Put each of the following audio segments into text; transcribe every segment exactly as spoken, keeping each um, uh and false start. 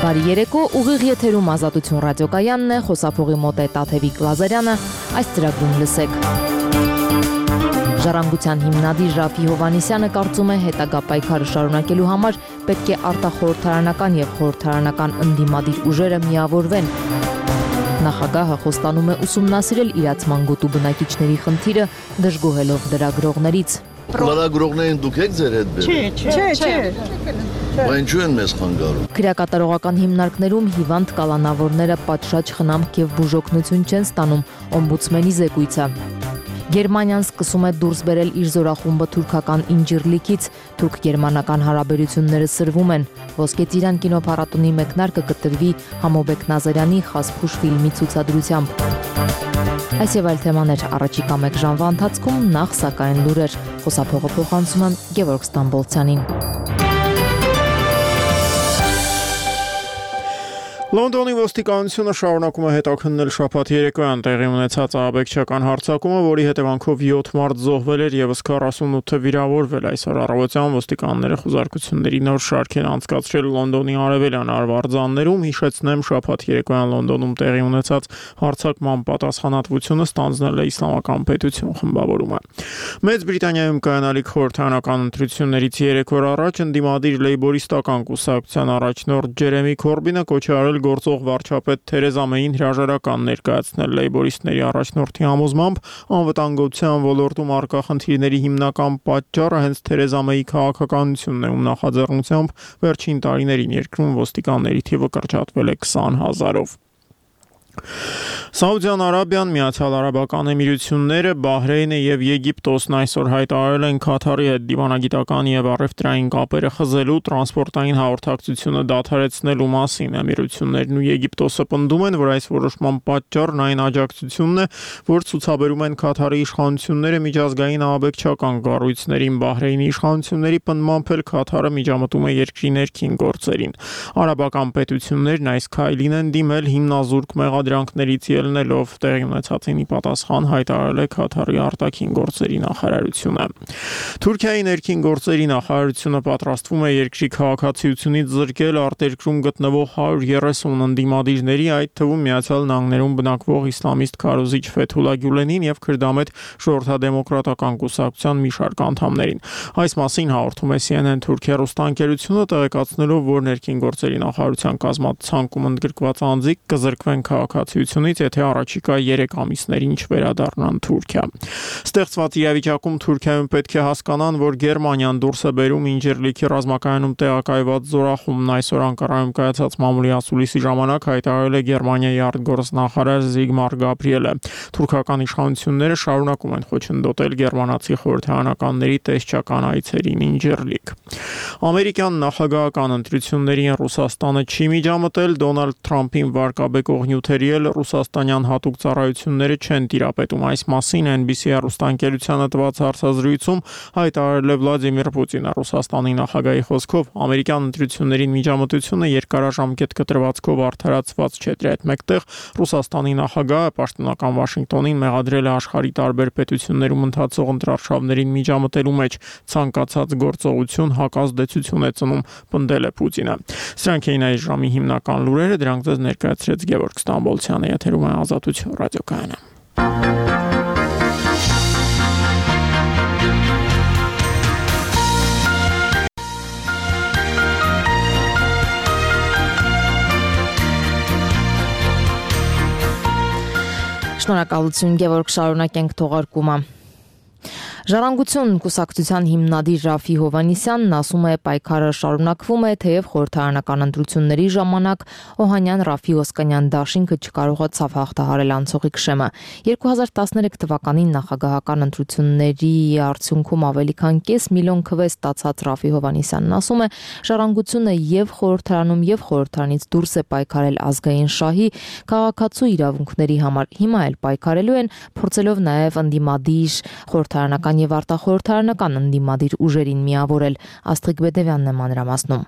Բարի երեկո, ուղիղ եթերում Ազատություն ռադիոկայանն է, խոսափողի մոտ է Տաթևիկ Լազարյանը, այս ծրագրում լսեք։ Ժառանգության հիմնադիր Ռաֆի Հովհաննիսյանը կարծում է հետագա պայքարը շարունակելու համար պետք է արտախորհրդարանական եւ խորհրդարանական ընդդիմադիր ուժերը միավորվեն։ Նախագահը խոստանում է ուսումնասիրել իրացման գոտու բնակիչների խնդիրը, դժգոհելով լրագրողներից։ Լրագրողներին դուք եք ձեր հետ բերել։ Չէ, չէ, չէ։ Բայց ինչու են մեզ խանգարում։ Քրեակատարողական հիմնարկներում հիվանդ կալանավորները պատշաճ խնամք եւ բուժօգնություն չեն ստանում, օմբուդսմենի զեկույցը։ Գերմանիան սկսում է դուրս բերել իր զորախումբը թուրքական Ինջիրլիկից, թուրք-գերմանական հարաբերությունները սրվում են։ Ոսկե ծիրան կինոփառատոնի մեկնարկը կտրվի Համոբեկ Նազարյանի «Խասփուշ» ֆիլմի ցուցադրությամբ։ Այս եւ այլ թեմաներ առաջիկա մեկ ժամվա ընթացքում, նախ սակայն լուրեր։ Խոսափողը փոխանցում եմ Գևորգ Ստամբոլցյանին։ Լոնդոնի ոստիկանությունը շարունակում է հետաքննել շաբաթ երեկոյան տեղի ունեցած ահաբեկչական հարձակումը, որի հետևանքով յոթ մարդ զոհվել էր եւս քառասունութը վիրավորվել։ Այսօր առավոտյան ոստիկանները խուզարկությունների նոր շարք են անցկացրել Լոնդոնի արևելյան արվարձաններում։ Հիշեցնեմ, շաբաթ երեկոյան Լոնդոնում տեղի ունեցած հարձակման պատասխանատվությունը ստանձնել է Իսլամական պետություն խմբավորումը։ Մեծ Բրիտանիայում կայանալիք խորհրդարանական ընտրություններից երեք օր առաջ ընդդիմադիր լեյբորիստական կուսակցության առաջնորդ Ջերեմի Քորբինը կոչ է արել գործող վարչապետ Թերեզա Մեյին հրաժարական ներկայացնել լեյբորիստների առաջնորդի համոզմամբ, անվտանգության ոլորտում առկա խնդիրների հիմնական պատճառը հենց Թերեզա Մեյի քաղաքականությունն է, ում նախաձեռնությամբ վերջին տարիներին երկրում ոստիկանների թիվը կրճատվել է քսան հազարով։ Սաուդյան Արաբիան, Միացյալ Արաբական Էմիրությունները, Բահրեյնը եւ Եգիպտոսն այսօր հայտարարել են Քաթարի հետ դիվանագիտական եւ առևտրային կապերը խզելու, տրանսպորտային հաղորդակցությունը դադարեցնելու մասին։ Էմիրություններն ու Եգիպտոսը պնդում են, որ այս որոշման պատճառն այն աջակցությունն է, որ ցուցաբերում են Քաթարի իշխանությունները միջազգային ահաբեկչական կառույցներին։ Բահրեյնի իշխանությունների պնդմամբ էլ Քաթարը միջամտում է երկրի ներքին գործերին։ Արաբական պետություններն այս քայլին են դիմել հիմնազուրկ մեղադրանքներից ելնելով, տեղի ունեցածին ի պատասխան հայտարարել է Քաթարի արտաքին գործերի նախարարությունը։ Թուրքիայի ներքին գործերի նախարարությունը պատրաստվում է երկրի քաղաքացիությունից զրկել արտերկրում գտնվող հարյուր երեսուն ընդդիմադիրների, այդ թվում Միացյալ Նահանգներում բնակվող իսլամիստ քարոզիչ Ֆեթուլա Գյուլենին եւ քրդամետ ժողովրդադեմոկրատական կուսակցության մի շարք անդամներին։ Այս մասին հաղորդում է C N N Թուրքիա ռուստանկերությունը, տեղեկացնելով, որ ներքին գործերի նախարարության կազմացանկում ընդգրկված անձիկ կզրկվեն քաղաքացիությունից, եթե առաջիկա երեք ամիսներին չվերադառնան Թուրքիա։ Ստեղծված իրավիճակում Թուրքիայում պետք է հասկանան, որ Գերմանիան դուրս է բերում Ինջիրլիկի ռազմակայանում տեղակայված զորախումբն։ Այսօր Անկարայում կայացած մամուլի ասուլիսի ժամանակ հայտարարել է Գերմանիայի արտգործնախարար Զիգմար Գաբրիելը։ Թուրքական իշխանությունները շարունակում են խոչընդոտել գերմանացի խորհրդարանականների տեսչական այցերին Ինջիրլիկ։ Ամերիկյան նախագահական ընտրություններին Ռուսաստանը չի միջամտել, Դոնալդ Թրամփին վարկաբեկող նյութերի էլ ռուսաստանյան հատուկ ծառայությունները չեն տիրապետում։ Այս մասին N B C հեռուստաընկերությանը տված հարցազրույցում հայտարարել է Վլադիմիր Պուտինը։ Ռուսաստանի նախագահի խոսքով ամերիկյան ընտրություններին միջամտությունը երկարաժամկետ կտրվածքով արդարացված չէ։ Դրա հետ մեկտեղ Ռուսաստանի նախագահը պաշտոնական Վաշինգտոնին մեղադրել է աշխարհի տարբեր պետություններում ընթացող ընտրարշավներին միջամտելու մեջ ցանկացած գործողություն հակազդեցություն է ծնում, պնդել է Պուտինը։ Սրանք էին այս ժամի հիմնական լուրերը, դրանք ձեզ ներկայացրեց Գևորգ Ստամբոլցյանը, եթերում է Ազատություն ռադիոկայանը։ Շնորհակալություն, Գևորգ, շարունակենք թողարկումը։ Ժառանգություն կուսակցության հիմնադիր Ռաֆի Հովհաննիսյանն ասում է, պայքարը շարունակվում է, թեև խորհրդարանական ընտրությունների ժամանակ Օհանյան Ռաֆի Օսկանյան դաշինքը չկարողացավ հաղթահարել անցողիկ շեմը։ երկու հազար տասներեք թվականին նախագահական ընտրությունների արդյունքում ավելի քան կես միլիոն քվե ստացած Ռաֆի Հովհաննիսյանն ասում է, ժառանգությունը եւ խորհրդարանում եւ խորհրդարանից դուրս է պայքարել ազգային շահի, քաղաքացու իրավունքների համար։ Հիմա էլ պայքարելու են, փորձելով նաեւ ընդդիմադիր խորհրդարանական եւ արտախորհրդարանական ընդդիմադիր ուժերին միավորել։ Աստղիկ Բեդևյանն է մանրամասնում։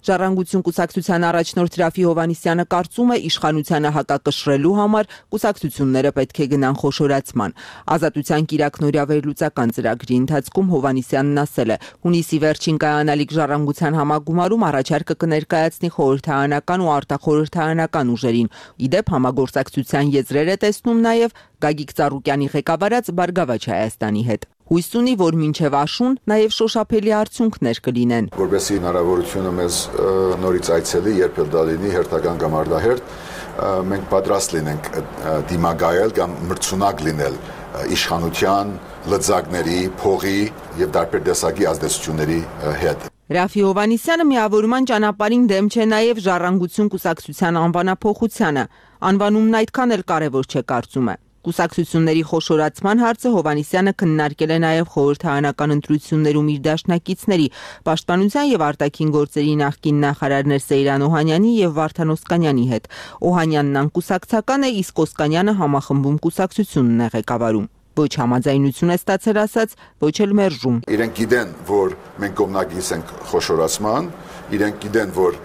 Ժառանգություն կուսակցության առաջնորդ Ռաֆի Հովհաննիսյանը կարծում է, իշխանությանը հակակշռելու համար կուսակցությունները պետք է գնան խոշորացման։ Ազատության կիրակնօրյա վերլուծական ծրագրի ընթացքում Հովհաննիսյանն ասել է, հունիսի վերջին կայանալիք Ժառանգության համագումարում առաջարկը կներկայացնի խորհրդարանական ու արտախորհրդարանական ուժերին։ Իդեպ համագործակցության եզրեր է տեսնում նաև Գագիկ Ծառուկյանի ղեկավարած Բարգավաճ Հայաստանի հետ։ Հույս ունի, որ մինչև աշուն նաև շոշափելի արդյունքներ կլինեն։ Որպեսզի հնարավորությունը մեզ նորից այցելի, երբ էլ դա լինի հերթական կամ արդահերթ, մենք պատրաստ լինենք դիմագայել կամ մրցունակ լինել իշխանության, լծակների, փողի եւ տարբեր տեսակի ազդեցությունների հետ։ Ռաֆի Հովհաննիսյանը միավորման ճանապարհին դեմ չէ նաև Ժառանգություն կուսակցության անվանափոխությանը։ Անվանումն այդքան էլ կարևոր չէ, կարծում է։ Կուսակցությունների խոշորացման հարցը Հովհաննիսյանը քննարկել է նաև խորհրդարանական ընտրություններում իր դաշնակիցների, պաշտպանության եւ արտաքին գործերի նախկին նախարարներ Սեյրան Օհանյանի եւ Վարդան Օսկանյանի հետ։ Օհանյանն անկուսակցական է, իսկ Օսկանյանը համախմբում կուսակցությունն է ղեկավարում։ Ոչ համաձայնություն է ստացել ասած, ոչ էլ մերժում։ Իրենք գիտեն, որ մենք կողմնակից ենք խոշորացման, իրենք գիտեն, որ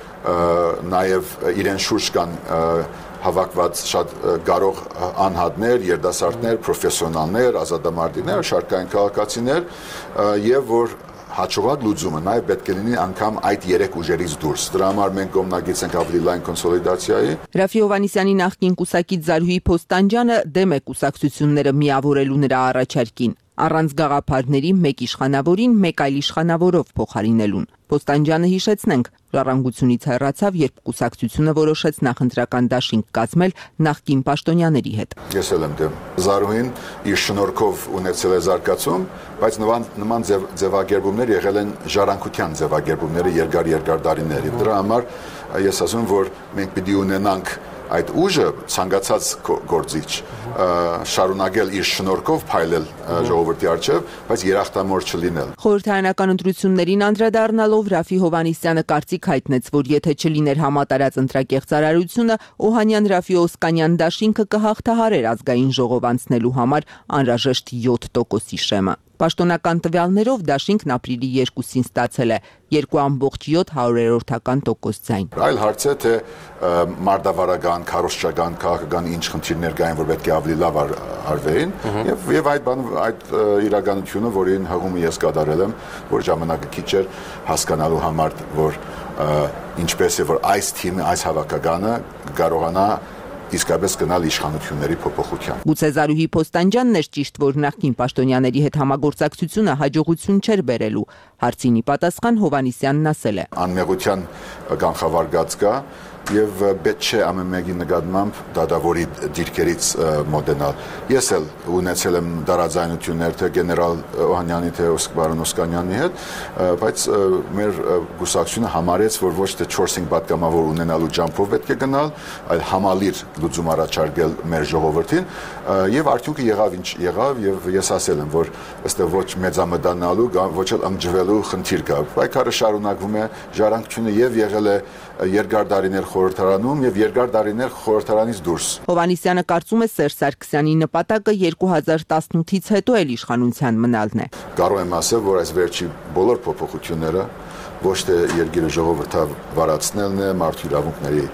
նաև իրեն շուրջ կան հավաքված շատ կարող անհատներ, երիտասարդներ, պրոֆեսիոնալներ, ազատամարտիկներ, շարքային քաղաքացիներ եւ որ հաջողակ լուծումը նաև պետք է լինի անգամ այդ երեք ուժերից դուրս։ Դրա համար մենք կողմնակից ենք ավելի լայն կոնսոլիդացիայի։ Ռաֆի Հովհաննիսյանի նախկին կուսակից Զարուհի Փոստանջյանը դեմ է կուսակցությունները միավորելու նրա առաջարկին։ Առանց գաղափարների մեկ իշխանավորին մեկ այլ իշխանավորով փոխարինելուն։ Փոստանջյանը հիշեցնենք, Ժառանգությունից հեռացավ, երբ կուսակցությունը որոշեց նախընտրական դաշինք կազմել նախկին պաշտոնյաների հետ։ Ես էլ եմ դեմ։ Զարուհին իր շնորհքով ունեցել է զարգացում, բայց նման նման ձևակերպումներ եղել են ժառանգության ձևակերպումները երկար-երկար տարիներ։ Դրա համար ես ասում եմ, որ մենք պիտի ունենանք այդ ուժը ցանկացած գործիչ շարունակել իր շնորհքով փայլել ժողովրդի առջև, բայց երախտամոռ չլինել։ Խորհրդարանական ընտրություններին անդրադառնալով Ռաֆի Հովհաննիսյանը կարծիք հայտնեց, որ եթե չլիներ համատարած ընտրակեղծարարությունը, Օհանյան-Ռաֆի Օսկանյան դաշինքը կհաղթահարեր ազգային ժողով անցնելու համար անհրաժեշտ յոթ տոկոսի շեմը։ Պաշտոնական տվյալներով դաշինքն ապրիլի երկուսին ստացել է երկու ամբողջ յոթ հարյուրերորդական տոկոս ձայն։ Այլ հարց է, թե մարտավարական, քարոզչական, քաղաքական ինչ խնդիրներ կային, որ պետք է ավելի լավ արվեին, եւ եւ այդ բան այդ իրականությունը, որին հղումը ես կատարել եմ, որ ժամանակը քիչ էր հասկանալու համար, որ ինչպես է որ այս թիմը, այս հավաքականը կարողանա իսկապես գնալ իշխանությունների փոփոխության։ Գուցե Զարուհի Փոստանջյանն էր ճիշտ, որ նախկին պաշտոնյաների հետ համագործակցությունը հաջողություն չէր բերելու։ Հարցինի պատասխան Հովհաննիսյանն ասել է. Անմեղության կանխավարկած կա եւ պետք չէ ամեն մեկի նկատմամբ դատավորի դիրքերից մոտենալ։ Ես էլ ունեցել եմ դարաձայնություններ թե գեներալ Օհանյանի թե բարոն Օսկանյանի հետ, բայց մեր գուսակցությունը համարեց, որ ոչ թե չորս-հինգ պատգամավոր ունենալու ջամփով պետք է գնալ, այլ համալիր լուծում առաջարկել մեր ժողովրդին եւ արդյունքը եղավ ինչ եղավ եւ ես ասել եմ, որ ըստեղ ոչ մեծամտանալու կամ ոչ էլ ըմջվելու խնդիր կա։ Պայքարը շարունակվում է, ժառանգությունը եւ եղել է երկար տարիներ խորհրդարանում եւ երկար տարիներ խորհրդարանից դուրս։ Հովհաննիսյանը կարծում է Սերժ Սարգսյանի նպատակը երկու հազար տասնութից հետո էլ իշխանության մնալն է։ Կարող եմ ասել, որ այս վերջի բոլոր փոփոխությունները ոչ թե երկիրը ժողովրդավարացնելն է, մարդու իրավունքների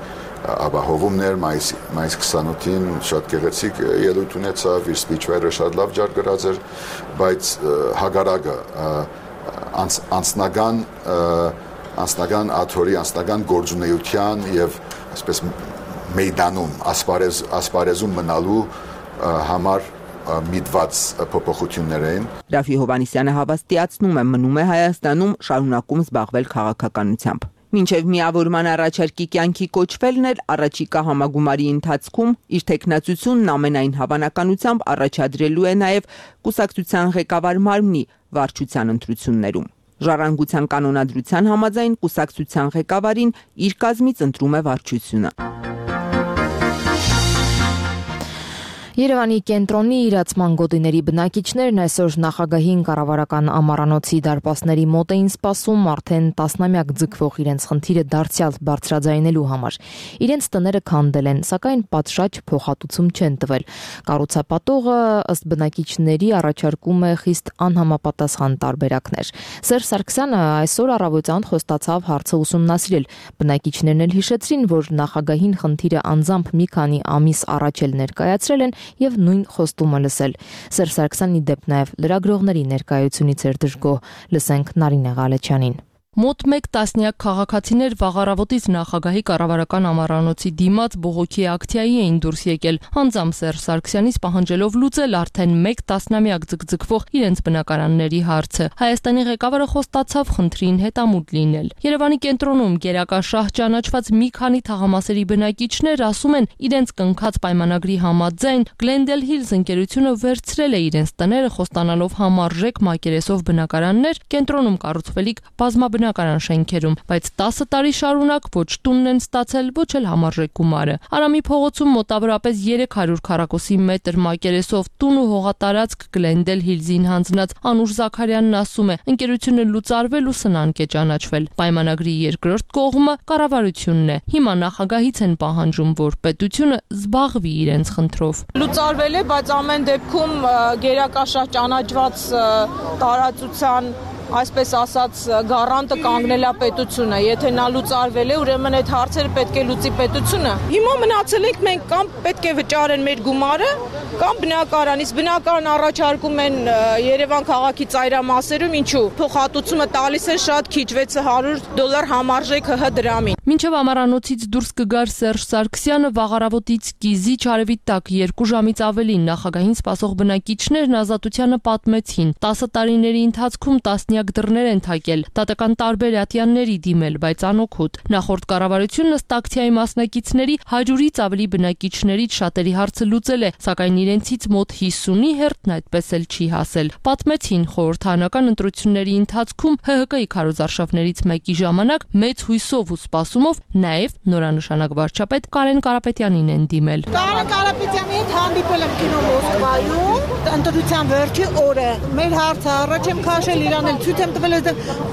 ապահովումներ, մայիսի մայիսի քսանութին շատ գեղեցիկ ելույթ ունեցավ, իր սպիչը շատ լավ ջար գրած էր, բայց հագարակը անձնական անձնական աթորի, անձնական գործունեության եւ այսպես մեյդանում ասպարեզ ասպարեզում մնալու համար միտված փոփոխություններ էին։ Ռաֆի Հովհաննիսյանը հավաստիացնում է, մնում է Հայաստանում, շարունակում զբաղվել քաղաքականությամբ։ Մինչև միավորման առաջարկի կյանքի կոչվելն էլ առաջիկա համագումարի ընթացքում իր տեխնացությունն ամենայն հավանականությամբ առաջադրելու է նաև կուսակցության ղեկավար մարմնի վարչության ընտրություններում։ Ժառանգության կանոնադրության համաձայն կուսակցության ղեկավարին իր կազմից ընտրում է վարչությունը։ Երևանի կենտրոնի իրացման գոտիների բնակիչներն այսօր նախագահին կառավարական ամառանոցի դարպասների մոտ էին սպասում արդեն տասնամյակ ձգվող իրենց խնդիրը դարձյալ բարձրաձայնելու համար։ Իրենց տները քանդել են, սակայն պատշաճ փոխհատուցում չեն տվել։ Կառուցապատողը ըստ բնակիչների առաջարկում է խիստ անհամապատասխան տարբերակներ։ Սերժ Սարգսյանը այսօր առավոտյան խոստացավ հարցը ուսումնասիրել։ Բնակիչներն էլ հիշեցրին, որ նախագահին խնդիրը անձամբ մի քանի ամիս առաջ էլ ներկայացրել են եւ նույն խոստումը լսել։ Սերժ Սարգսյանի դեպ նաեւ լրագրողների ներկայությունից էր դժգոհ։ Լսենք Նարինե Ղալեչյանին։ Մոտ մեկ տասնյակ քաղաքացիներ վաղարավոտից նախագահի կառավարական ամառանոցի դիմաց բողոքի ակցիայի էին դուրս եկել, անձամբ Սերժ Սարգսյանից պահանջելով լուծել արդեն մեկ տասնամյակ ձգձգվող իրենց բնակարանների հարցը։ Հայաստանի ղեկավարը խոստացավ խնդրին հետամուտ լինել։ Երևանի կենտրոնում գերակաշահ ճանաչված մի քանի թաղամասերի բնակիչներ ասում են, իրենց կնքած պայմանագրի համաձայն Glendale Hills ընկերությունը վերցրել է իրենց տները խոստանալով համարժեք մակերեսով բնակարաններ կենտրոնում կառուցվելիք բազմաբնակ բնակարան շենքերում, բայց տասը տարի շարունակ ոչ տունն են ստացել, ոչ էլ համարժեք գումարը։ Արամի փողոցում մոտավորապես երեք հարյուր քառակուսի մետր մակերեսով տուն ու հողատարածք Glendale Hills-ին հանձնած Անուշ Զաքարյանն ասում է, ընկերությունը լուծարվել ու սնանկ է ճանաչվել։ Պայմանագրի երկրորդ կողմը կառավարությունն է։ Հիմա նախագահից են պահանջում, որ պետությունը զբաղվի իրենց խնդրով։ Լուծարվել է, բայց ամեն դեպքում գերակաշահ ճանաչված տարածության այսպես ասած գարանտը կանգնել է պետությունը, եթե նա լուծարվել է, ուրեմն այդ հարցերը պետք է լուծի պետությունը։ Հիմա մնացել ենք մենք կամ պետք է վճարեն մեր գումարը, կամ բնակարանից բնակարան առաջարկում են Երևան քաղաքի ծայրամասերում, ինչու փոխհատուցումը տալիս են շատ քիչ վեց հարյուր դոլար համարժեք ՀՀ դրամին։ Մինչև ամառանոցից դուրս կգար Սերժ Սարգսյանը վաղարավոտից կիզի չարևի տակ երկու ժամից ավելին նախագահին սպասող բնակիչներն Ազատությանը պատմեցին։ տասը տարիների ընթացքում տասնյակ դռներ են թակել, դատական տարբեր ատյանների դիմել, բայց անօգուտ։ Նախորդ կառավարությունն ըստ ակցիայի մասնակիցների հարյուրից ավելի բնակիչներից շատերի հարցը լուծել է, սակայն իրենցից մոտ հիսունի հերթն այդպես էլ չի հասել։ Պատմեցին խորհրդարանական ընտրությունների ընթացքում ՀՀԿ-ի քարոզարշավներից մեկի ժամանակ մեծ հույսով ու սպասումով նաև նորանշանակ վարչապետ Կարեն Կարապետյանին են դիմել։ Կարեն Կարապետյանի հետ հանդիպել եմ կինո Մոսկվայում, ընտրության վերջի օրը։ Մեր հարցը առաջ եմ քաշել իրան էլ ցույց եմ տվել,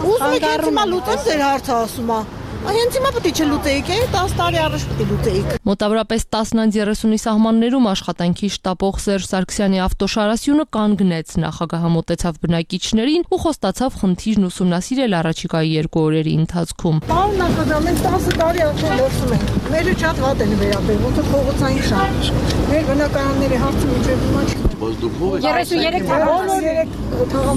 ուզում եք հենց հիմա լուծել ձեր հարցը, ասում է։ Հենց հիմա պետք է չլուծեիք, տասը տարի առաջ պետք է լուծեիք։ Մոտավորապես տասն երեսունի սահմաններում աշխատանքի շտապող Սերժ Սարգսյանի ավտոշարասյունը կանգնեց, նախագահը մոտեցավ բնակիչներին ու խոստացավ խնդիրն ուսումնասիրել առաջիկայի երկու օրերի ընթացքում։ Պարոն նախագահ, մենք տասը տարի արդեն լսում ենք։ Մերը շատ վատ են վերաբերվում, ոնց փողոցային շարժ։ Մեր բնակարանների հարցը մինչև հիմա չի։ երեսունյերեք թաղամասը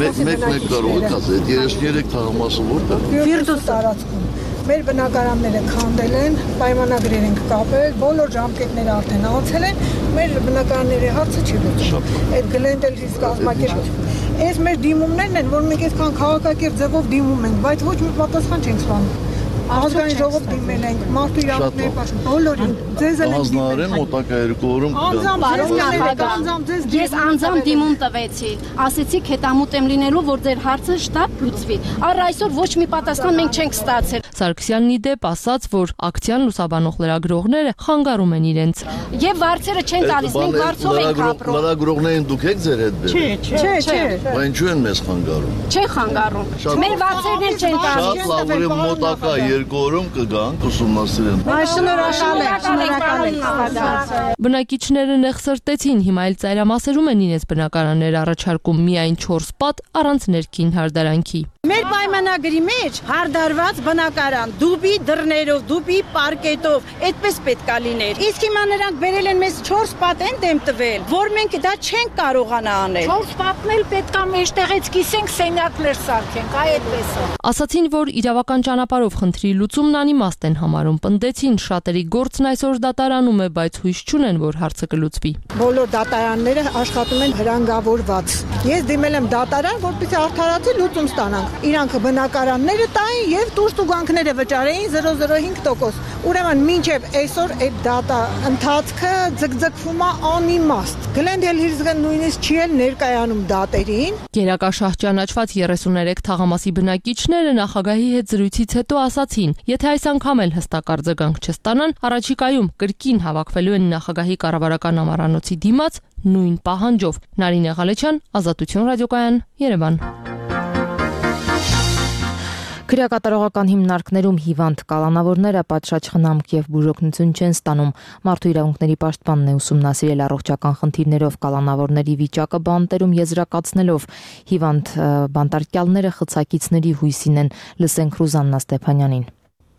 մեկ-մեկ կարող եք ասել, երեսունյերեք թաղամասը որտե՞ղ։ Ֆիրդուս տարածքում։ Մեր բնակարանները քանդել են, պայմանագրեր են կապել, բոլոր ժամկետները արդեն անցել են, մեր բնակարանների հարցը չի լուծում։ Այդ Glendale Hills կազմակերպությունը։ Այս մեր դիմումներն են, որ մենք այսքան քաղաքակիրթ ձևով դիմում ենք, բայց ոչ մի պատասխան չենք ստանում։ Ազգային ժողով դիմել ենք, մարդու իրավունքների պաշտպան, բոլորին, ձեզ էլ ենք դիմել։ Հանձնարարեմ մոտակա երկու օրում կգան։ Ես անձամբ դիմում տվեցի, ասեցիք հետամուտ եմ լինելու, որ ձեր հարցը շտապ լուծվի։ Առ այսօր ոչ մի պատասխան մենք չենք ստացել։ Սարգսյանն ի դեպ ասաց, որ ակցիան լուսաբանող լրագրողները խանգարում են իրենց։ Եվ վարձերը չեն տալիս, մենք վարձով ենք ապրում։ Լրագրողներին դուք եք ձեր հետ բերում։ Չէ, չէ։ Բայց ինչու են մեզ խանգարում։ Չեն խանգարում։ Մեր վարձերն էլ չեն տալիս։ Շատ լավ, ուրեմն մոտակա երկու օրում կգանք ուսումնասիրեն։ Շնորհակալ եմ, շնորհակալ եմ։ Բնակիչները նեղսրտեցին, հիմա էլ ծայրամասերում են իրենց բնակարաններ առաջարկում միայն չորս պատ առանց ներքին հարդարանքի։ Մեր պայմանագրի մեջ հարդարված բնակարան, դուբի դռներով, դուբի պարկետով, այդպես պետք է լիներ։ Իսկ հիմա նրանք բերել են մեզ չորս պատ են դեմ տվել, որ մենք դա չենք կարողանա անել։ չորս պատն էլ պետք է մեջտեղից կիսենք, սենյակներ սարքենք, այ այդպես է։ Ասացին, որ իրավական ճանապարհով խնդրի լուծումն անիմաստ են համարում, պնդեցին, շատերի գործն այսօր դատարանում է, բայց հույս չունեն, որ հարցը կլուծվի։ Բոլոր դատարանները աշխատում են հրանգավորված։ Ես դիմել եմ դատարան, որպեսզի արդարացի լուծում ստանանք։ Իրանք բնակարանները տային եւ տուժտուգանքները վճարեին զրո զրո հինգ տոկոս։ Ուրեմն մինչեւ այսօր այդ դատա ընթացքը ձգձգվում է անիմաստ։ Glendale Hills-ը նույնիսկ չի էլ ներկայանում դատերին։ Գերակաշահ ճանաչված երեսուներեք թաղամասի բնակիչները նախագահի հետ զրույցից հետո ասացին, եթե այս անգամ էլ հստակ արձագանք չստանան, առաջիկայում կրկին հավաքվելու են նախագահի կառավարական ամառանոցի դիմաց նույն պահանջով։ Նարինե Ղալեչյան, Ազատություն ռադիոկայան, Երևան։ Քրեակատարողական հիմնարկներում հիվանդ կալանավորները պատշաճ խնամք եւ բուժօգնություն չեն ստանում։ Մարդու իրավունքների պաշտպանն է ուսումնասիրել առողջական խնդիրներով կալանավորների վիճակը բանտերում եզրակացնելով հիվանդ բանտարկյալները խցակիցների հույսին են։ Լսենք Ռուզաննա Ստեփանյանին։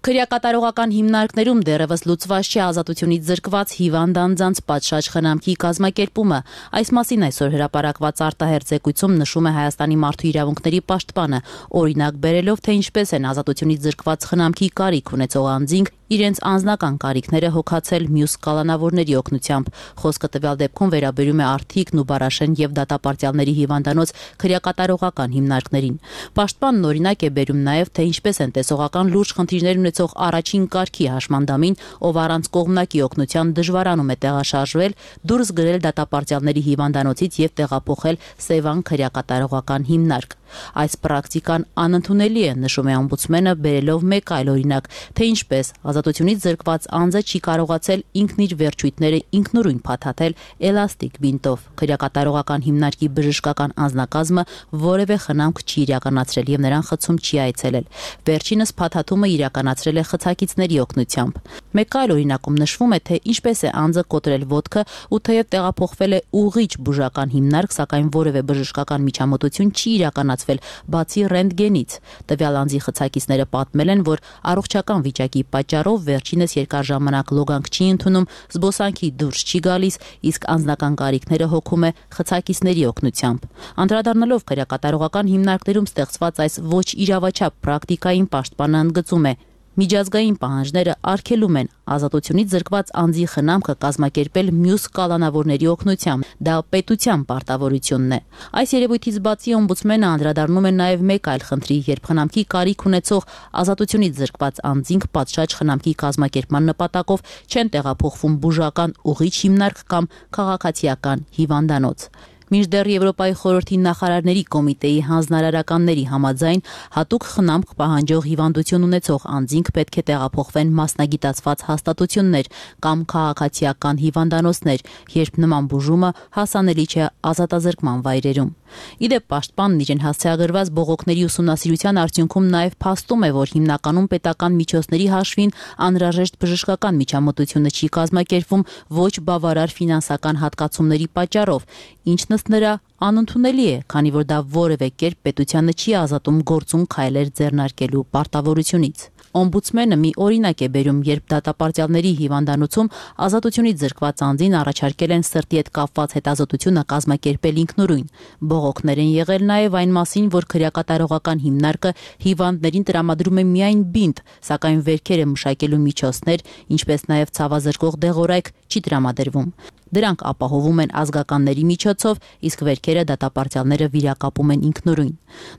Քրեակատարողական հիմնարկներում դեռևս լուծված չէ ազատությունից զրկված հիվանդ անձանց պատշաճ խնամքի կազմակերպումը։ Այս մասին այսօր հրապարակված արտահերթ զեկույցում նշում է Հայաստանի մարդու իրավունքների պաշտպանը, օրինակ բերելով, թե ինչպես են ազատությունից զրկված խնամքի կարիք ունեցող անձինք իրենց անձնական կարիքները հոգացել մյուս կալանավորների օգնությամբ։ Խոսքը տվյալ դեպքում վերաբերում է Արթիկն ու Բարաշեն եւ դատապարտյալների հիվանդանոց քրեակատարողական հիմնարկներին։ Պաշտպանն օրինակ է բերում նաեւ, թե ինչպես են տեսողական լուրջ խնդիրներ ունեցող առաջին կարգի հաշմանդամին, ով առանց կողմնակի օգնության դժվարանում է տեղաշարժվել, դուրս գրել դատապարտյալների հիվանդանոցից եւ տեղափոխել Սևան քրեակատարողական հիմնարկ։ Այս պրակտիկան անընդունելի է, նշում է օմբուդսմենը, բերելով մեկ այլ օրինակ, թե ինչպես ազատությունից զրկված անձը չի կարողացել ինքն իր վերջույթները ինքնուրույն փաթաթել էլաստիկ բինտով։ Քրեակատարողական հիմնարկի բժշկական անձնակազմը որևէ խնամք չի իրականացրել եւ նրան խցում չի այցելել։ Վերջինս փաթաթումը իրականացրել է խցակիցների օգնությամբ։ Մեկ այլ օրինակում նշվում է, թե ինչպես է անձը կոտրել ոտքը ու թեև տեղափոխվել է ուղիչ բուժական հիմնարկ, սակայն որևէ բժշկական միջամտություն չի իրականացվել բացի ռենտգենից։ Տվյալ անձի խցակիցները պատմել են, որ առողջական վիճակի պատճառով վերջինս երկար ժամանակ լոգանք չի ընդունում, զբոսանքի դուրս չի գալիս, իսկ անձնական կարիքները հոգում է խցակիցների օգնությամբ։ Անդրադառնալով քրեակատարողական հիմնարկներում ստեղծված այս ոչ իրավաչափ պրակտիկային պաշտպանը ընդգծում է. Միջազգային պահանջները արգելում են ազատությունից զրկված անձի խնամքը կազմակերպել մյուս կալանավորների օգնությամբ։ Դա պետության պարտավորությունն է։ Այս երևույթից բացի օմբուդսմենը անդրադառնում է նաև մեկ այլ խնդրի, երբ խնամքի կարիք ունեցող ազատությունից զրկված անձինք պատշաճ խնամքի կազմակերպման նպատակով չեն տեղափոխվում բուժական ուղիչ հիմնարկ կամ քաղաքացիական հիվանդանոց։ Մինչդեռ Եվրոպայի խորհրդի նախարարների կոմիտեի հանձնարարականների համաձայն հատուկ խնամք պահանջող հիվանդություն ունեցող անձինք պետք է տեղափոխվեն մասնագիտացված հաստատություններ կամ քաղաքացիական հիվանդանոցներ, երբ նման բուժումը հասանելի չէ ազատազրկման վայրերում։ Իդեպ պաշտպանն իրեն հասցեագրված բողոքների ուսումնասիրության արդյունքում նաև փաստում է, որ հիմնականում պետական միջոցների հաշվին անհրաժեշտ բժշկական միջամտությունը չի կազմակերպվում ոչ բավարար ֆինանսական հատկացումների պատճառով, ինչն ըստ նրա անընդունելի է, քանի որ դա որևէ կերպ պետությանը չի ազատում գործուն քայլեր ձեռնարկելու պարտավորությունից։ Օմբուդսմենը մի օրինակ է բերում, երբ դատապարտյալների հիվանդանոցում ազատությունից զրկված անձին առաջարկել են սրտի հետ կապված հետազոտությունը կազմակերպել ինքնուրույն։ Բողոքներ են եղել նաև այն մասին, որ քրեակատարողական հիմնարկը հիվանդներին տրամադրում է միայն բինտ, սակայն վերքերը մշակելու միջոցներ, ինչպես նաև ցավազրկող դեղորայք չի տրամադրվում։ Դրանք ապահովում են ազգականների միջոցով, իսկ վերքերը դատապարտյալները վիրակապում են ինքնուրույն։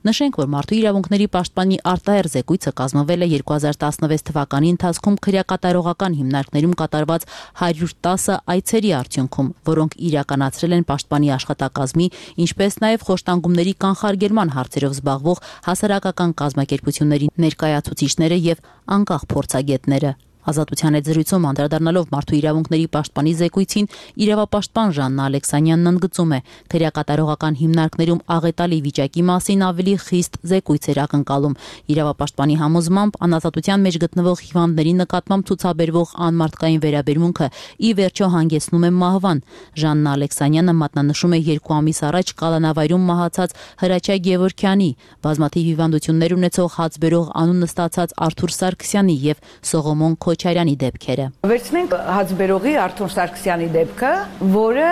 Նշենք, որ մարդու իրավունքների պաշտպանի արտահերթ զեկույցը կազմվել է երկու հազար տասնվեց թվականի ընթացքում քրեակատարողական հիմնարկներում կատարված հարյուր տասը այցերի արդյունքում, որոնք իրականացրել են պաշտպանի աշխատակազմի, ինչպես նաև խոշտանգումների կանխարգելման հարցերով զբաղվող հասարակական կազմակերպությունների ներկայացուցիչները եւ անկախ փորձագետները։ Ազատության հետ զրույցում անդրադառնալով մարդու իրավունքների պաշտպանի զեկույցին, իրավապաշտպան Ժաննա Ալեքսանյանն ընդգծում է, քրեակատարողական հիմնարկներում աղետալի վիճակի մասին ավելի խիստ զեկույց էր ակնկալում։ Իրավապաշտպանի համոզմամբ անազատության մեջ գտնվող հիվանդների նկատմամբ ցուցաբերվող անմարդկային վերաբերմունքը ի վերջո հանգեցնում է մահվան։ Ժաննա Ալեքսանյանը մատնանշում է երկու ամիս առաջ կալանավայրում մահացած Հրաչյա Գևորգյանի, բազմաթիվ հիվանդություններ ունեցող հացբերող անունը ստացած Արթուր Սարգսյանի եւ Սողոմոն Քոչարյանի դեպքերը։ Վերցնենք հացբերողի Արթուր Սարգսյանի դեպքը, որը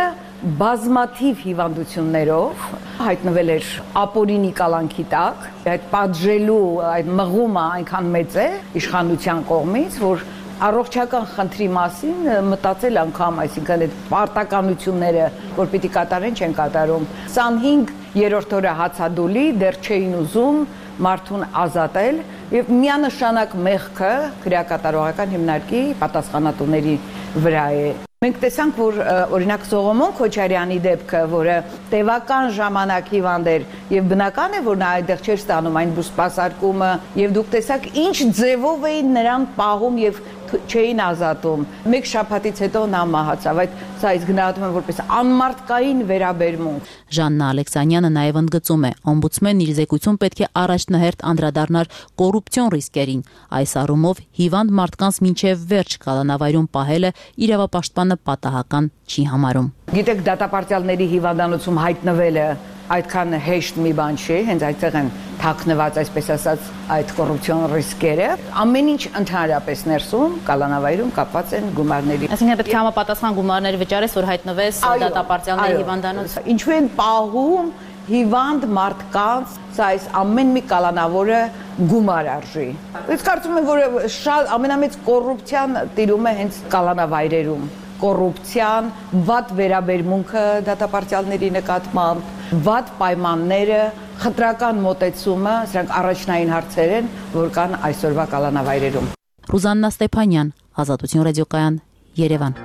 բազմաթիվ հիվանդություններով հայտնվել էր ապօրինի կալանքի տակ, այդ պատժելու, այդ մղումը այնքան մեծ է իշխանության կողմից, որ առողջական խնդրի մասին մտածել անգամ, այսինքն այդ պարտականությունները, որ պիտի կատարեն, չեն կատարում։ քսանհինգ երրորդ օրը հացադուլի դեռ չէին ուզում մարդուն ազատել եւ միանշանակ մեղքը քրեակատարողական հիմնարկի պատասխանատուների վրա է։ Մենք տեսանք, որ օրինակ Սողոմոն Քոչարյանի դեպքը, որը տևական ժամանակ հիվանդ էր եւ բնական է, որ նա այդտեղ չէր ստանում այն բուսպասարկումը, եւ դուք տեսաք ինչ ձևով էին նրան պահում եւ չէին ազատում։ Մեկ շաբաթից հետո նա մահացավ։ Այդ սա իսկ գնահատում եմ որպես անմարդկային վերաբերմունք։ Ժաննա Ալեքսանյանը նաև ընդգծում է, օմբուդսմենն իր զեկույցում պետք է առաջնահերթ անդրադառնար կոռուպցիոն ռիսկերին։ Այս առումով հիվանդ մարդկանց մինչև վերջ կալանավայրում պահելը իրավապաշտպանը պատահական չի համարում։ Գիտեք, դատապարտյալների հիվանդանոցում հայտնվելը այդքան հեշտ մի բան չի, հենց այդտեղ են թաքնված, այսպես ասած, այդ կոռուպցիոն ռիսկերը։ Ամեն ինչ ընդհանրապես ներսում կալանավայրում կապված են գումարների։ Այսինքն պետք է համապատասխան գումարներ վճարես, որ հայտնվես դատապարտյալների հիվանդանոց։ Ինչու են պահում հիվանդ մարդկանց, սա այս ամեն մի կալանավորը գումար արժի։ Ես կարծում եմ, որ շատ ամենամեծ կոռուպցիան տիրում է հենց կալանավայրերում։ Կոռուպցիան, վատ վերաբերմունքը դատապարտյալների նկատմամբ, վատ պայմանները, խտրական մոտեցումը, սրանք առաջնային հարցեր են, որ կան այսօրվա կալանավայրերում։ Ռուզաննա Ստեփանյան, Ազատություն ռադիոկայան, Երևան։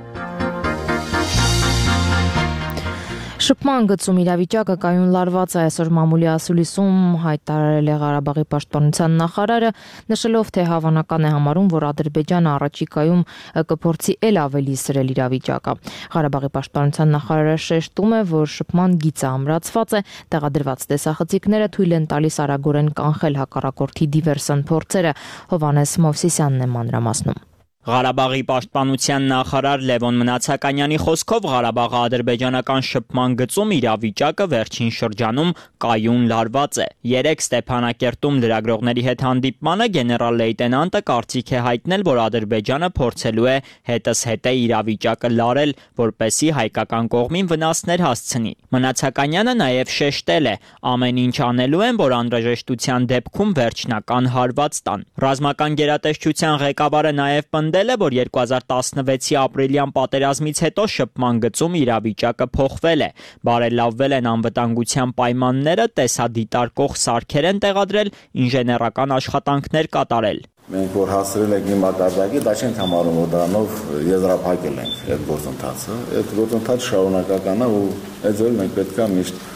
Շփման գծում իրավիճակը կայուն լարված է, այսօր մամուլի ասուլիսում հայտարարել է Ղարաբաղի պաշտպանության նախարարը, նշելով, թե հավանական է համարում, որ Ադրբեջանը առաջիկայում կփորձի էլ ավելի սրել իրավիճակը։ Ղարաբաղի պաշտպանության նախարարը շեշտում է, որ շփման գիծը ամրացված է, տեղադրված տեսախցիկները թույլ են տալիս արագորեն կանխել հակառակորդի դիվերսիոն փորձերը։ Հովհաննես Մովսիսյանն է մանրամասնում։ Ղարաբաղի պաշտպանության նախարար Լևոն Մնացականյանի խոսքով Ղարաբաղի ադրբեջանական շփման գծում իրավիճակը վերջին շրջանում կայուն լարված է։ Երեկ Ստեփանակերտում լրագրողների հետ հանդիպմանը գեներալ լեյտենանտը կարծիք է հայտնել, որ Ադրբեջանը փորձելու է հետզհետե իրավիճակը լարել, որպեսզի հայկական կողմին վնասներ հասցնի։ Մնացականյանը նաև շեշտել է, ամեն ինչ անելու են, որ անհրաժեշտության դեպքում վերջնական հարված տան։ Ռազմական գերատեսչության ղեկավարը նաև պնդել է, որ երկու հազար տասնվեցի ապրիլյան պատերազմից հետո շփման գծում իրավիճակը փոխվել է, բարելավվել են անվտանգության պայմանները, տեսադիտարկող սարքեր են տեղադրել, ինժեներական աշխատանքներ կատարել։ Մենք որ հասցրել ենք մի մակարդակի, դա չենք համարում, որ դրանով եզրափակել ենք այդ գործընթացը։ Այդ գործընթացը շարունակական է ու այդ ձևով մենք պետք է միշտ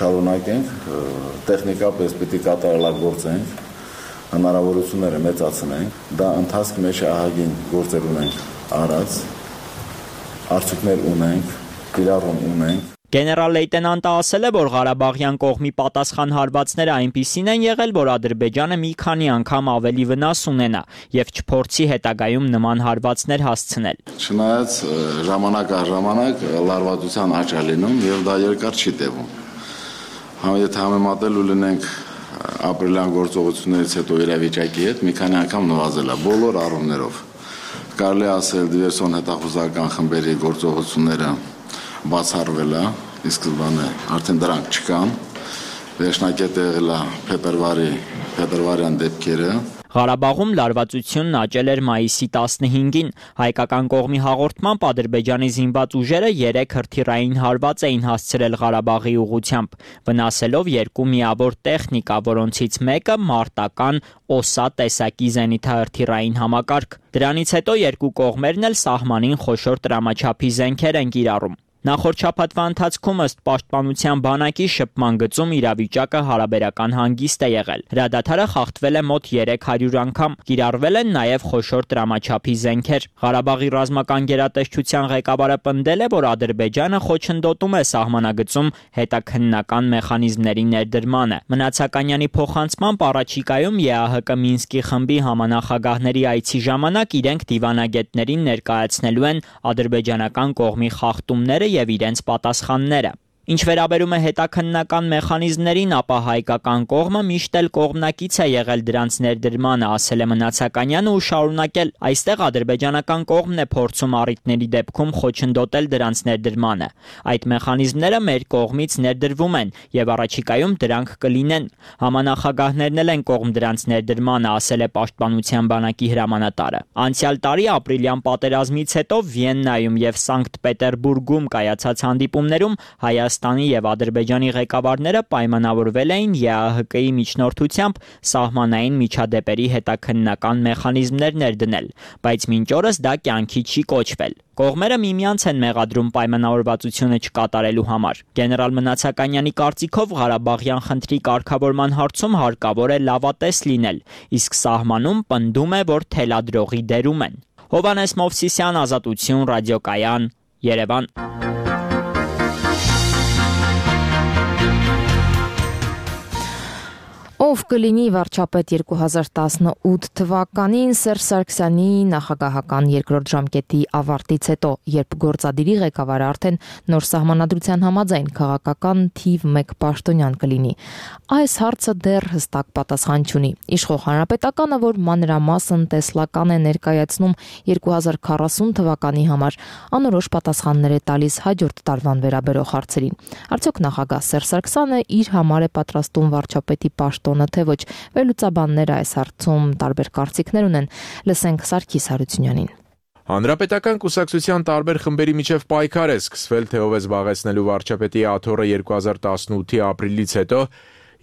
շարունակենք, տեխնիկապես պետք է կատարելագործենք, հնարավորությունները մեծացնենք, դա ընթացքի մեջ ահագին գործեր ունենք արած, արդյունքներ ունենք, կիրառում ունենք։ Գեներալ լեյտենանտը ասել է, որ Ղարաբաղյան կողմի պատասխան հարվածները այնպիսին են եղել, որ Ադրբեջանը մի քանի անգամ ավելի վնաս ունենա եւ չփորձի հետագայում նման հարվածներ հասցնել։ Չնայած ժամանակ առ ժամանակ լարվածության աճ է լինում եւ դա երկար չի տևում։ Եթե համեմատելու լինենք ապրիլյան գործողություններից հետո իրավիճակի հետ, մի քանի անգամ նվազել է բոլոր առումներով։ Կարելի է ասել դիվերսիոն հետախուզական խմբերի գործողությունները բացառվել է, իսկ սկզբանե արդեն դրանք չկան։ Վերջնակետը եղել է փետրվարի, փետրվարյան դեպքերը։ Ղարաբաղում լարվածությունն աճել էր մայիսի տասնհինգին։ Հայկական կողմի հաղորդմամբ Ադրբեջանի զինված ուժերը երեք հրթիռային հարված էին հասցրել Ղարաբաղի ուղղությամբ, վնասելով երկու միավոր տեխնիկա, որոնցից մեկը մարտական օսա տեսակի զենիթահրթիռային համակարգ։ Դրանից հետո երկու կողմերն էլ սահմանին խոշոր տրամաչափի զենքեր են կիրառում։ Նախորդ շաբաթվա ընթացքում ըստ պաշտպանության բանակի շփման գծում իրավիճակը հարաբերական հանգիստ է եղել։ Հրադադարը խախտվել է մոտ երեք հարյուր անգամ, կիրառվել են նաև խոշոր տրամաչափի զենքեր։ Ղարաբաղի ռազմական գերատեսչության ղեկավարը պնդել է, որ Ադրբեջանը խոչընդոտում է սահմանագծում հետաքննական մեխանիզմների ներդրմանը։ Մնացականյանի փոխանցմամբ առաջիկայում ԵԱՀԿ Մինսկի խմբի համանախագահների այցի ժամանակ իրենք դիվանագետներին ներկայացնելու են ադրբեջանական կողմի խախտումները եւ իրենց պատասխանները։ Ինչ վերաբերում է հետաքննական մեխանիզմներին, ապա հայկական կողմը միշտ էլ կողմնակից է եղել դրանց ներդրմանը, ասել է Մնացականյանը ու շարունակել. այստեղ ադրբեջանական կողմն է փորձում առիթների դեպքում խոչընդոտել դրանց ներդրմանը։ Այդ մեխանիզմները մեր կողմից ներդրվում են եւ առաջիկայում դրանք կլինեն։ Համանախագահներն էլ են կողմ դրանց ներդրմանը, ասել է Պաշտպանության բանակի հրամանատարը։ Անցյալ տարի ապրիլյան պատերազմից հետո Վիեննայում եւ Սանկտ Պետերբուրգում կայացած հանդիպումներում Հայաստանի եւ Ադրբեջանի ղեկավարները պայմանավորվել էին ԵԱՀԿ-ի միջնորդությամբ սահմանային միջադեպերի հետաքննական մեխանիզմներ ներդնել, բայց մինչ օրս դա կյանքի չի կոչվել։ Կողմերը միմյանց են մեղադրում պայմանավորվածությունը չկատարելու համար։ Գեներալ Մնացականյանի կարծիքով Ղարաբաղյան խնդրի կարգավորման հարցում հարկավոր է լավատես լինել, իսկ սահմանում պնդում է, որ թելադրողի դերում են։ Հովհաննես Մովսիսյան, Ազատություն, Ռադիոկայան, Երևան։ Ով կլինի վարչապետ երկու հազար տասնութ թվականին Սերժ Սարգսյանի նախագահական երկրորդ ժամկետի ավարտից հետո, երբ գործադիրի ղեկավարը արդեն նոր սահմանադրության համաձայն քաղաքական թիվ մեկ պաշտոնյան կլինի։ Այս հարցը դեռ հստակ պատասխան չունի։ Իշխող հանրապետականը, որ մանրամասն տեսլական է ներկայացնում երկու հազար քառասուն թվականի համար, անորոշ պատասխաններ է տալիս հաջորդ տարվան վերաբերող հարցերին։ Արդյոք նախագահ Սերժ Սարգսյանը իր համար է պատրաստում վարչապետի պաշտոն թե ոչ, վերլուծաբանները այս հարցում տարբեր կարծիքներ ունեն։ Լսենք Սարգիս Հարությունյանին։ Հանրապետական կուսակցության տարբեր խմբերի միջև պայքար է սկսվել, թե ով է զբաղեցնելու վարչապետի աթոռը երկու հազար տասնութի ապրիլից հետո,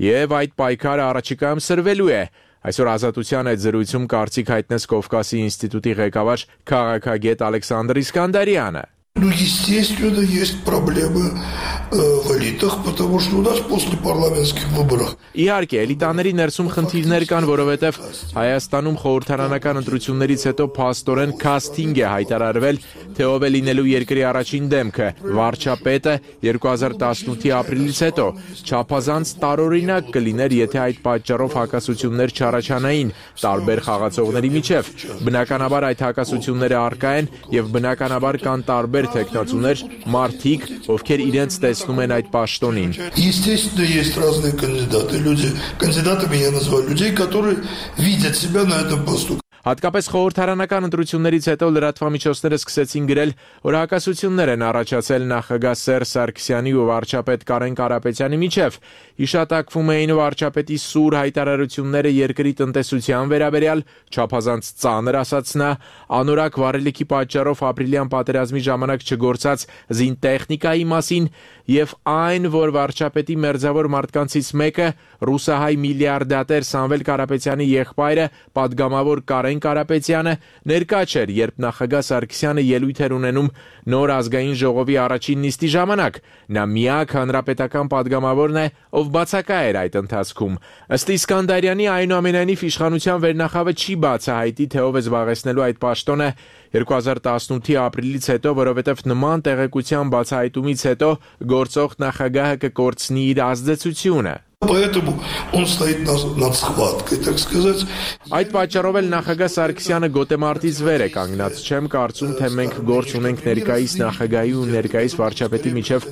եւ այդ պայքարը առաջիկայում սրվելու է։ Այսօր Ազատության այդ զրույցում կարծիք հայտնեց Կովկասի ինստիտուտի ղեկավար քաղաքագետ Ալեքսանդր Իսկանդարյանը։ Ну, естественно, есть проблемы э, в элитах, потому что у нас после парламентских выборов. Իհարկե, էլիտաների ներսում խնդիրներ կան, որովհետև Հայաստանում խորհրդարանական ընտրություններից հետո փաստորեն քասթինգ է հայտարարվել, թե ով է լինելու երկրի առաջին դեմքը, վարչապետը երկու հազար տասնութի ապրիլից հետո։ Չափազանց տարօրինակ կլիներ, եթե այդ պատճառով հակասություններ չառաջանային տարբեր խաղացողների միջև։ Բնականաբար այդ հակասությունները առկա են եւ բնականաբար կան տարբեր թեկնածուներ, մարդիկ, ովքեր իրենց տեսնում են այդ պաշտոնին։ Естественно, есть разные кандидаты. Люди, кандидатами я назвал людей, которые видят себя на этом посту. Հատկապես խորհրդարանական ընտրություններից հետո լրատվամիջոցները սկսեցին գրել, որ հակասություններ են առաջացել նախագահ Սերժ Սարգսյանի ու վարչապետ Կարեն Կարապետյանի միջև։ Հիշատակվում էին վարչապետի սուր հայտարարությունները երկրի տնտեսության վերաբերյալ, չափազանց ծանր ասաց նա, անորակ վառելիքի պատճառով ապրիլյան պատերազմի ժամանակ չգործած զինտեխնիկայի մասին եւ այն, որ վարչապետի մերձավոր մարդկանցից մեկը ռուսահայ միլիարդատեր Սամվել Կարապետյանի եղբայրը, падգամավոր Կարեն Կարապետյանը ներկա չէր, երբ նախագահ Սարգսյանը ելույթ էր ունենում նոր ազգային ժողովի առաջին նիստի ժամանակ։ Նա միակ հանրապետական падգամավորն է, ով բացակա էր այդ ընթացքում։ Ըստ Իսկանդարյանի, այնուամենայնիվ իշխանության վերնախավը չի բացահայտի, թե ով է զբաղեցնելու այդ պաշտոնը երկու հազար տասնութի ապրիլից հետո, որովհետև նման տեղեկության բացահայտումից հետո գործող նախագահը կկորցնի իր ազդեցությունը։ Поэтому он стоит над схваткой, так сказать. Այդ պատճառով էլ նախագահ Սարգսյանը գոտեմարտից վեր է կանգնած։ Չեմ կարծում, թե մենք գործ ունենք ներկայիս նախագահի ու ներկայիս վարչապետի միջև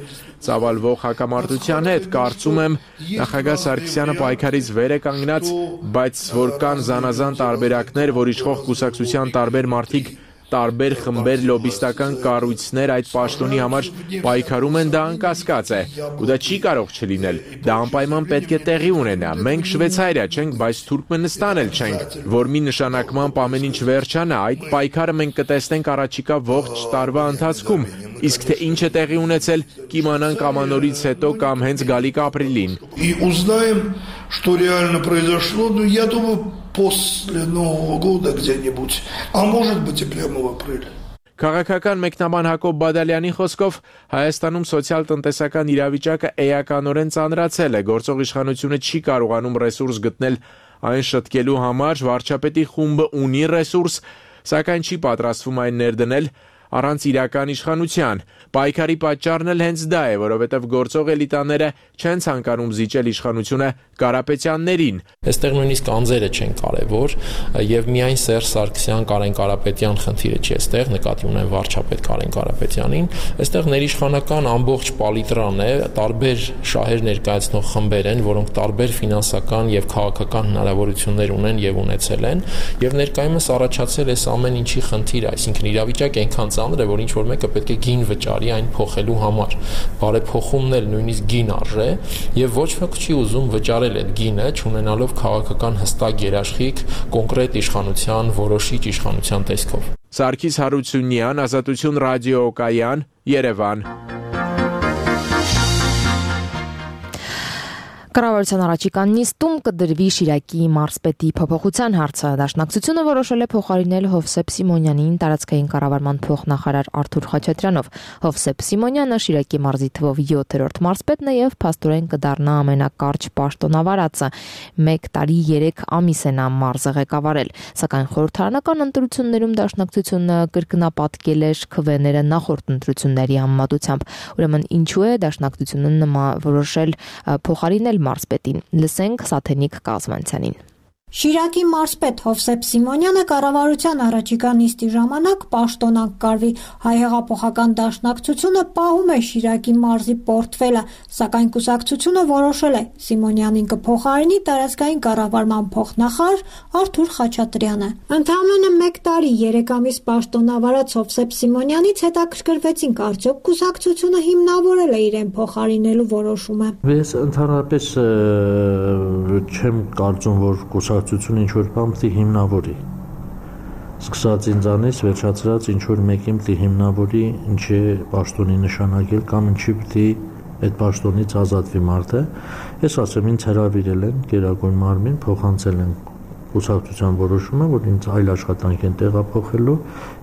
ծավալվող հակամարտության հետ։ Կարծում եմ, նախագահ Սարգսյանը պայքարից վեր է կանգնած, բայց որ կան զանազան տարբերակներ, որ իշխող կուսակցության տարբեր մարդիկ տարբեր խմբեր լոբիստական կառույցներ այդ պաշտոնի համար պայքարում են, դա անկասկած է, ու դա չի կարող չլինել։ Դա անպայման պետք է տեղի ունենա։ Մենք Շվեյցարիա չենք, բայց Թուրքմենստան էլ չենք, որ մի նշանակմամբ ամեն ինչ վերջանա։ Այդ պայքարը մենք կտեսնենք առաջիկա ողջ տարվա ընթացքում, իսկ թե ինչ է տեղի ունեցել, կիմանանք ամանորից հետո կամ հենց գալիք ապրիլին։ И узнаем, что реально произошло, ну, я думаю, после Нового года где-нибудь, а может быть и прямо в апреле. Քաղաքական մեկնաբան Հակոբ Բադալյանի խոսքով Հայաստանում սոցիալ-տնտեսական իրավիճակը էականորեն ծանրացել է, գործող իշխանությունը չի կարողանում ռեսուրս գտնել այն շտկելու համար, վարչապետի խումբը ունի ռեսուրս, սակայն չի պատրաստվում այն ներդնել առանց իրական իշխանության։ Պայքարի պատճառն էլ հենց դա է, որովհետև գործող էլիտաները չեն ցանկանում զիջել իշխանությունը Կարապետյաններին։ Այստեղ նույնիսկ անձերը չեն կարևոր, եւ միայն Սերժ Սարգսյան, Կարեն Կարապետյան խնդիրը չի, այստեղ նկատի ունեն վարչապետ Կարեն Կարապետյանին, այստեղ ներիշխանական ամբողջ պալիտրան է, տարբեր շահեր ներկայացնող խմբեր են, որոնք տարբեր ֆինանսական եւ քաղաքական հնարավորություններ ունեն եւ ունեցել են, եւ ներկայումս առաջացել է ամեն ինչի խնդիր, այսինքն իրավիճակը այնքան ծանր է, որ ինչ որ մեկը պետք է գին վճարի այն փոխելու համար։ Բարեփոխումն էլ նույնիսկ գին արժե, եւ ոչ ոք չի ուզում վճարել այդ գինը, չունենալով քաղաքական հստակ երաշխիք կոնկրետ իշխանության, որոշիչ իշխանության տեսքով։ Սարգիս Հարությունյան, Ազատություն ռադիոկայան, Երևան։ Կառավարության առաջիկան նիստում կդրվի Շիրակի մարզպետի փոփոխության հարցը։ Դաշնակցությունը որոշել է փոխարինել Հովսեփ Սիմոնյանին տարածքային կառավարման փոխնախարար Արթուր Խաչատրյանով։ Հովսեփ Սիմոնյանը Շիրակի մարզի թվով յոթերորդ մարզպետն է եւ փաստորեն կդառնա ամենակարճ պաշտոնավարածը։ Մեկ տարի երեք ամիս է նա մարզը ղեկավարել։ Սակայն խորհրդարանական ընտրություններում դաշնակցությունը կրկնապատկել էր քվեները նախորդ ընտրությունների համեմատությամբ։ Ուրեմն ինչու է դաշնակցությունը նման որոշել փոխարինել մարզպետին։ Լսենք Սաթենիկ Կազմանցյանին։ Շիրակի մարզպետ Հովսեփ Սիմոնյանը կառավարության առաջիկա նիստի ժամանակ պաշտոնանկ կարվի։ Հայ հեղափոխական դաշնակցությունը պահում է Շիրակի մարզի պորտֆելը, սակայն կուսակցությունը որոշել է Սիմոնյանին կփոխարինի տարածքային կառավարման փոխնախարար Արթուր Խաչատրյանը։ Ընդամենը մեկ տարի երեք ամիս պաշտոնավարած Հովսեփ Սիմոնյանից հետաքրքրվեցինք, արդյոք կուսակցությունը հիմնավորել է իրեն փոխարինելու որոշումը։ Ես ընդհանրապես չեմ կարծում, որ կուսակցությունը ինչ-որ բան պիտի հիմնավորի, սկսած ինձանից վերջացրած ինչ-որ մեկին պիտի հիմնավորի, ինչ է պաշտոնի նշանակել կամ ինչի պիտի այդ պաշտոնից ազատվի մարդը։ Ես ասեմ, ինձ հրավիրել են Գերագույն մարմին, փոխանցել են կուսակցության որոշումը, որ ինձ այլ աշխատանք են տեղափոխելու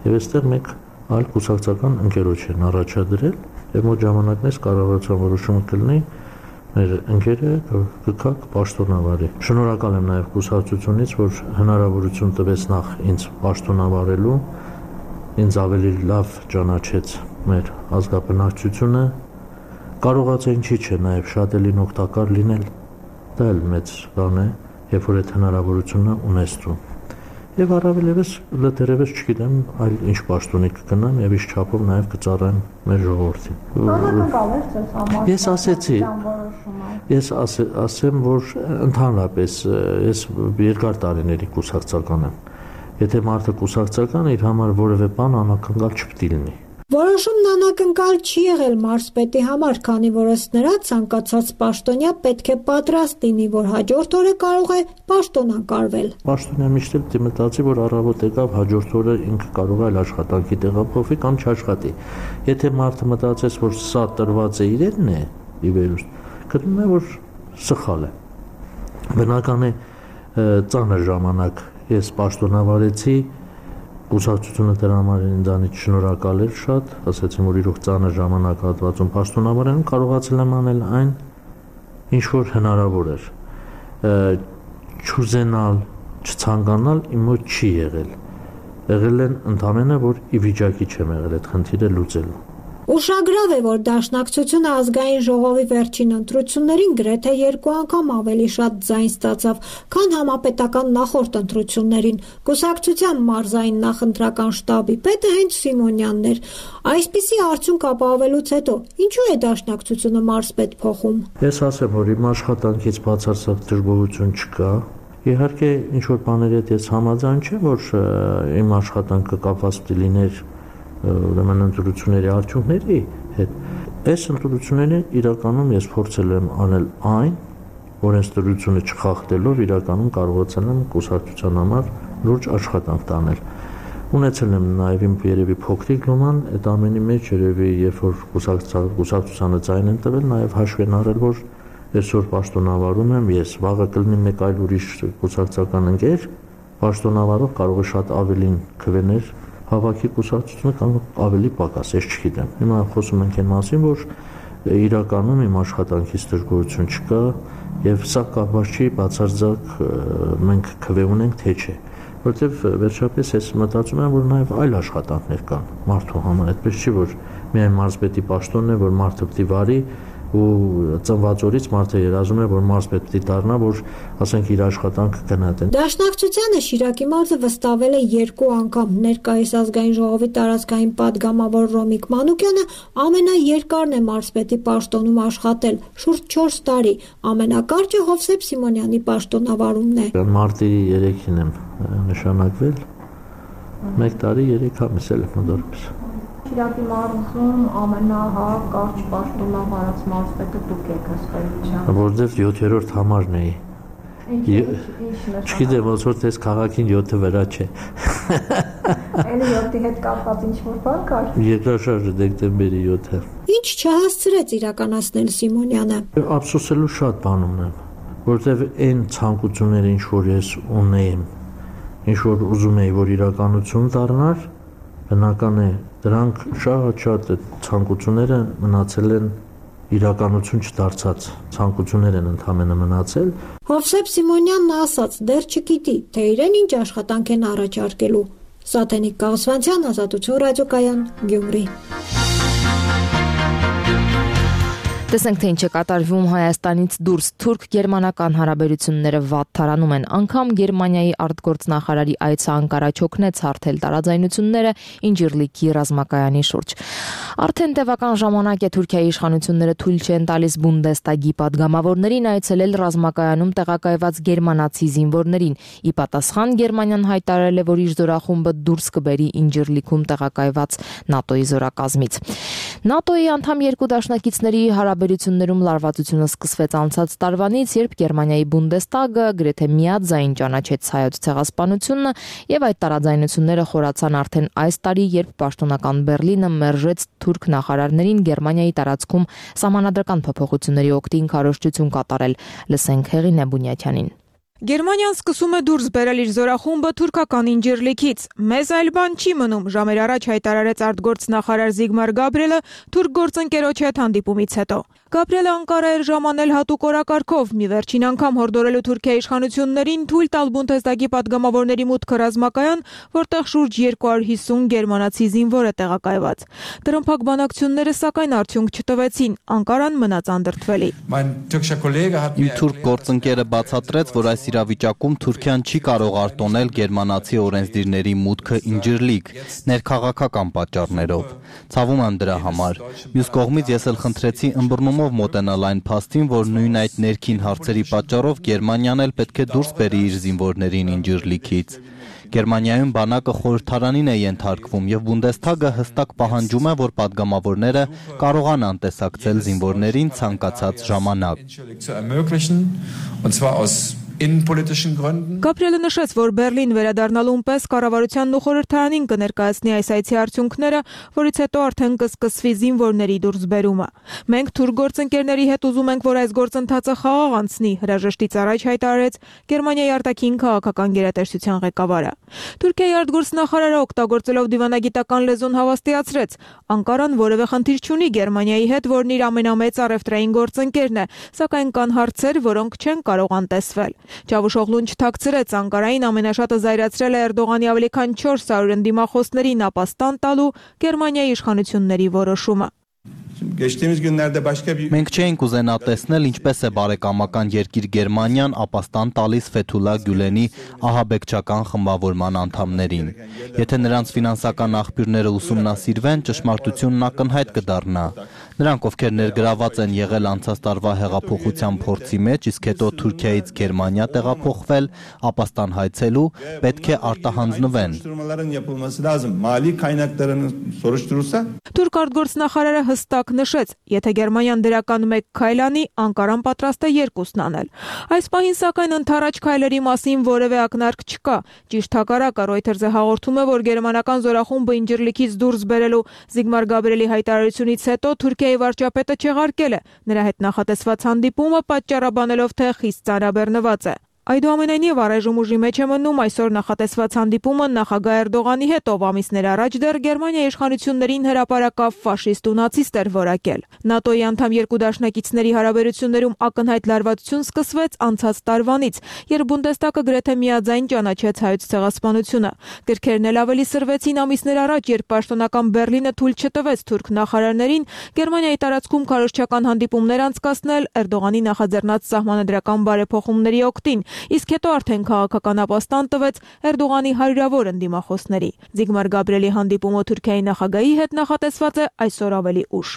եւ այստեղ մեկ այլ կուսակցական ընկերոջ են առաջադրել եւ մոտ ժամանակն է կառավարության որոշումը կլինի մեր ընկերը կգա պաշտոնավարի։ Շնորհակալ եմ նաև կուսակցությունից, որ հնարավորություն տվեց նախ ինձ պաշտոնավարելու, ինձ ավելի լավ ճանաչեց մեր ազգաբնակչությունը, կարողաց է ինչի՞ չէ նաև շատ էլին օգտակար լինել, դա էլ մեծ բան է, երբ որ այդ հնարավորությունը ունես դու։ Եվ առավելևս լրտերևս չգիտեմ այլ ինչ պաշտոնի կգնամ եւ ինչ չափով նաեւ կծառայեմ մեր ժողովրդին։ Ես ասեցի, ես ասեմ, որ ընդհանրապես ես երկար տարիների կուսակցական եմ։ Եթե մարդը կուսակցական իր համար որևէ բան անակնկալ չպետք լինի։ Որոշումն անակնկալ չի եղել մարզպետի համար, քանի որ ըստ նրա ցանկացած պաշտոնյա պետք է պատրաստ լինի, որ հաջորդ օրը կարող է պաշտոնակարվել։ Պաշտոնյա միշտ էլ դի մտածի, որ առավոտ եկավ, հաջորդ օրը ինքը կարող է այլ աշխատանքի տեղափոխվի կամ չաշխատի։ Եթե մարդը մտածես, որ սա տրված է իրենն է, ի վերուստ, գտնում է, որ սխալ է։ Բնական է, ծանր ժամանակ ես պաշտոնավարեցի, կուսակցությունը դրա համար ինձանից շնորհակալ էր շատ, ասացին, որ իրոք ծանր ժամանակահատվածում պաշտոնավարել կարողացել եմ անել այն, ինչ որ հնարավոր էր։ Չուզենալ, չցանկանալ իմ մոտ չի եղել։ Եղել են ընդամենը, որ ի վիճակի չեմ եղել այդ խնդիրը լուծելու։ Ուշագրավ է, որ Դաշնակցությունը ազգային ժողովի վերջին ընտրություններին գրեթե երկու անգամ ավելի շատ ձայն ստացավ, քան համապետական նախորդ ընտրություններին։ Կուսակցության մարզային նախընտրական շտաբի պետը հենց Սիմոնյանն էր։ Այսպիսի արդյունք ապահովելուց հետո ինչու է Դաշնակցությունը մարզպետ փոխում։ Ես ասեմ, որ իմ աշխատանքից բացարձակ դժգոհություն չկա։ Իհարկե, ինչ որ բաների հետ ես համաձայն չեմ, որ իմ աշխատանքը կապված լիներ ուրեմն ընտրությունների արդյունքների հետ։ Այս ընտրությունները իրականում ես փորձել եմ անել այն, որ ընտրությունը չխախտելով իրականում կարողացել եմ կուսակցության համար լուրջ աշխատանք տանել։ Ունեցել եմ նաև իմ երևի փոքրիկ լոման, այդ ամենի մեջ երևի երբ որ կուսակցությանը ձայն են տվել, նաև հաշվի են առել, որ այսօր պաշտոնավարում եմ ես, վաղը կլինի մեկ այլ ուրիշ կուսակցական ընկեր, պաշտոնավարող կարող է շատ ավելին քվեներ հավաքի կուսակցությունը կամ ավելի պակաս, ես չգիտեմ։ Հիմա խոսում ենք այն մասին, որ իրականում իմ աշխատանքից դժգոհություն չկա եւ սա կապված չի բացարձակ մենք քվե ունենք թե չէ, որովհետեւ վերջապես ես մտածում եմ, որ նաեւ այլ աշխատանքներ կան մարդու համար, այդպես չի որ միայն մարզպետի պաշտոնն է, որ մարդը պիտի վարի ու ծնված օրից մարդը երազում է, որ մարզպետ պիտի դառնա, որ ասենք իր աշխատանքը գնահատեն։ Դաշնակցությանը Շիրակի մարզը վստահվել է երկու անգամ։ Ներկայիս ազգային ժողովի տարածքային պատգամավոր Ռոմիկ Մանուկյանը ամենաերկարն է մարզպետի պաշտոնում աշխատել՝ շուրջ չորս տարի։ Ամենակարճը Հովսեփ Սիմոնյանի պաշտոնավարումն է։ Մարտի երեքին եմ նշանակվել։ Մեկ տարի երեք ամիս էլ եմ մոտավորապես։ Շիրակի մարզում ամենահարկ պաշտոնավարած մարզպետը դուք եք ըստ էության։ Որտեվ յոթերորդ համարն էի։ Չգիտեմ, ոնց որ տես քաղաքին յոթը վրա չէ։ Էլի յոթի հետ կապված ինչ-որ բան կար։ Երկրաշարժը դեկտեմբերի յոթը։ Ինչ չհասցրեց իրականացնել Սիմոնյանը։ Ափսոսելու շատ բան ունեմ, որտեղ այն ցանկությունները, ինչ որ ես ունեի, ինչ որ ուզում էի, որ իրականություն դառնար, բնական է, դրանք շատ-շատ ցանկությունները մնացել են իրականություն չդարձած, ցանկություններ են ընդհանրապես մնացել։ Հովսեփ Սիմոնյանն ասաց, դեռ չգիտի, թե իրեն ինչ աշխատանք են առաջարկելու։ Սաթենիկ Կաղասվանցյան, Ազատություն ռադիոկայան, Գյումրի։ Տեսնենք, թե ինչ է կատարվում Հայաստանից դուրս թուրք-գերմանական հարաբերությունները վատթարանում են։ Անգամ Գերմանիայի արտգործնախարարի այցը Անկարա չօգնեց հարթել տարաձայնությունները Ինջիրլիքի ռազմակայանի շուրջ։ Արդեն տևական ժամանակ է Թուրքիայի իշխանությունները թույլ չեն տալիս Բունդեստագի падգամավորներին այցելել ռազմակայանում տեղակայված գերմանացի զինվորներին։ Ի պատասխան Գերմանիան հայտարարել է, որ իր զորախումբը դուրս կբերի Ինջիրլիքում տեղակայված ՆԱՏՕ-ի զորակազմից։ ՆԱՏՕ-ի անդամ երկու դաշնակիցների հարաբերություններում լարվածությունը սկսվեց անցած տարվանից, երբ Գերմանիայի Բունդեստագը գրեթե միաձայն ճանաչեց հայոց ցեղասպանությունը, եւ այդ տարաձայնությունները խորացան արդեն այս տարի, երբ պաշտոնական Բերլինը մերժեց թուրք նախարարներին Գերմանիայի տարածքում սահմանադրական փոփոխությունների օգտին քարոզչություն կատարել։ Լսենք Հեղինե Բունյաթյանին։ Գերմանիան սկսում է դուրս բերել իր զորախումբը թուրքական Ինջիրլիքից։ Մեզ այլ բան չի մնում, ժամեր առաջ հայտարարեց արտգործնախարար Զիգմար Գաբրիելը թուրք գործընկերոջ հետ հանդիպումից հետո։ Գաբրիելը Անկարա էր ժամանել հատուկ օրակարգով, մի վերջին անգամ հորդորելու Թուրքիայի իշխանություններին թույլ տալ Բունդեստագի падգամավորների մուտքը ռազմակայան, որտեղ շուրջ երկու հարյուր հիսուն գերմանացի զինվոր է տեղակայված։ Տրամփակ բանակցությունները սակայն արդյունք չտվեցին, Անկարան մնաց անդրդվելի։ Իմ թուրք գործընկերը բացատրեց, որ այս իրավիճակում Թուրքիան չի կարող արտոնել գերմանացի օրենսդիրների մուտքը Ինջիրլիք ներքաղաքական պատճառներով։ Ցավում եմ դրա համար։ Մյուս կողմից ես էլ խնդրեցի ըմբռնումով մոտենալ այն փաստին, որ նույն այդ ներքին հարցերի պատճառով Գերմանիան էլ պետք է դուրս բերի իր զինվորներին Ինջիրլիքից։ Գերմանիայում բանակը խորհրդարանին է ենթարկվում եւ Բունդեստագը հստակ պահանջում է, որ падգամավորները կարողանան տեսակցել զինվորներին ցանկացած ժամանակ։ Գաբրիելը նշեց, որ Բերլին վերադառնալուն պես կառավարությանն ու խորհրդարանին կներկայացնի այս այցի արդյունքները, որից հետո արդեն կսկսվի զինվորների դուրսբերումը։ Մենք թուրք գործընկերների հետ ուզում ենք, որ այս գործընթացը խաղաղ անցնի, հրաժեշտից առաջ հայտարարեց Գերմանիայի արտաքին քաղաքական գերատեսչության ղեկավարը։ Թուրքիայի արտգործնախարարը օգտագործելով դիվանագիտական լեզուն հավաստիացրեց. Անկարան որևէ խնդիր չունի Գերմանիայի հետ, որն իր ամենամեծ առևտրային գործընկերն է, սակայն կան հարցեր, որոնք չեն կարող անտեսվել։ Չավուշօղլուն չթաքցրեց, Անկարային ամենաշատը զայրացրել է Էրդողանի ավելի քան չորս հարյուր ընդդիմախոսներին ապաստան տալու Գերմանիայի իշխանությունների որոշումը։ Մենք չէինք ուզենա տեսնել, ինչպես է բարեկամական երկիր Գերմանիան ապաստան տալիս Ֆեթուլա Գյուլենի ահաբեկչական խմբավորման անդամներին։ Եթե նրանց ֆինանսական աղբյուրները ուսումնասիրվեն, ճշմարտությունն ակնհայտ կդառնա։ Նրանք, ովքեր ներգրաված են եղել անցած տարվա հեղափոխության փորձի մեջ, իսկ հետո Թուրքիայից Գերմանիա տեղափոխվել, ապաստան հայցելու, պետք է արտահանձնվեն։ Թուրք արտգործնախարարը հստակ նշեց, եթե Գերմանիան դրական մեկ քայլ անի, Անկարան պատրաստ է երկուսն անել։ Այս պահին սակայն ընդառաջ քայլերի մասին որևէ ակնարկ չկա։ Ճիշտ հակառակը Reuters-ը հաղորդում է, որ գերմանական զորախումբը Ինջիրլիքից դուրս բերելու Զիգմար Գաբրիելի հայտարարությունից հետո Թուրքիայի վարչապետը չեղարկել է նրա հետ նախատեսված հանդիպումը, պատճառաբանելով, թե խիստ ծանրաբեռնված է։ Այդուամենայնիվ առայժմ ուժի մեջ է մնում այսօր նախատեսված հանդիպումը նախագահ Էրդողանի հետ, ով ամիսներ առաջ դեռ Գերմանիայի իշխանություններին հրապարակավ ֆաշիստ ու նացիստ էր որակել։ ՆԱՏՕ-ի անդամ երկու դաշնակիցների հարաբերություններում ակնհայտ լարվածություն սկսվեց անցած տարվանից, երբ Բունդեստագը գրեթե միաձայն ճանաչեց հայոց ցեղասպանությունը։ Գրքերն էլ ավելի սրվեցին ամիսներ առաջ, երբ պաշտոնական Բերլինը թույլ չտվեց թուրք նախարարներին Գերմանիայի տարածքում քարոզչական հանդիպումներ անցկացնել Էրդողանի նախաձեռնած սահմանադրական բարեփոխումների օգտին, իսկ հետո արդեն քաղաքական ապաստան տվեց Էրդողանի հարյուրավոր ընդդիմախոսների։ Զիգմար Գաբրիելի հանդիպումը Թուրքիայի նախագահի հետ նախատեսված է այսօր ավելի ուշ։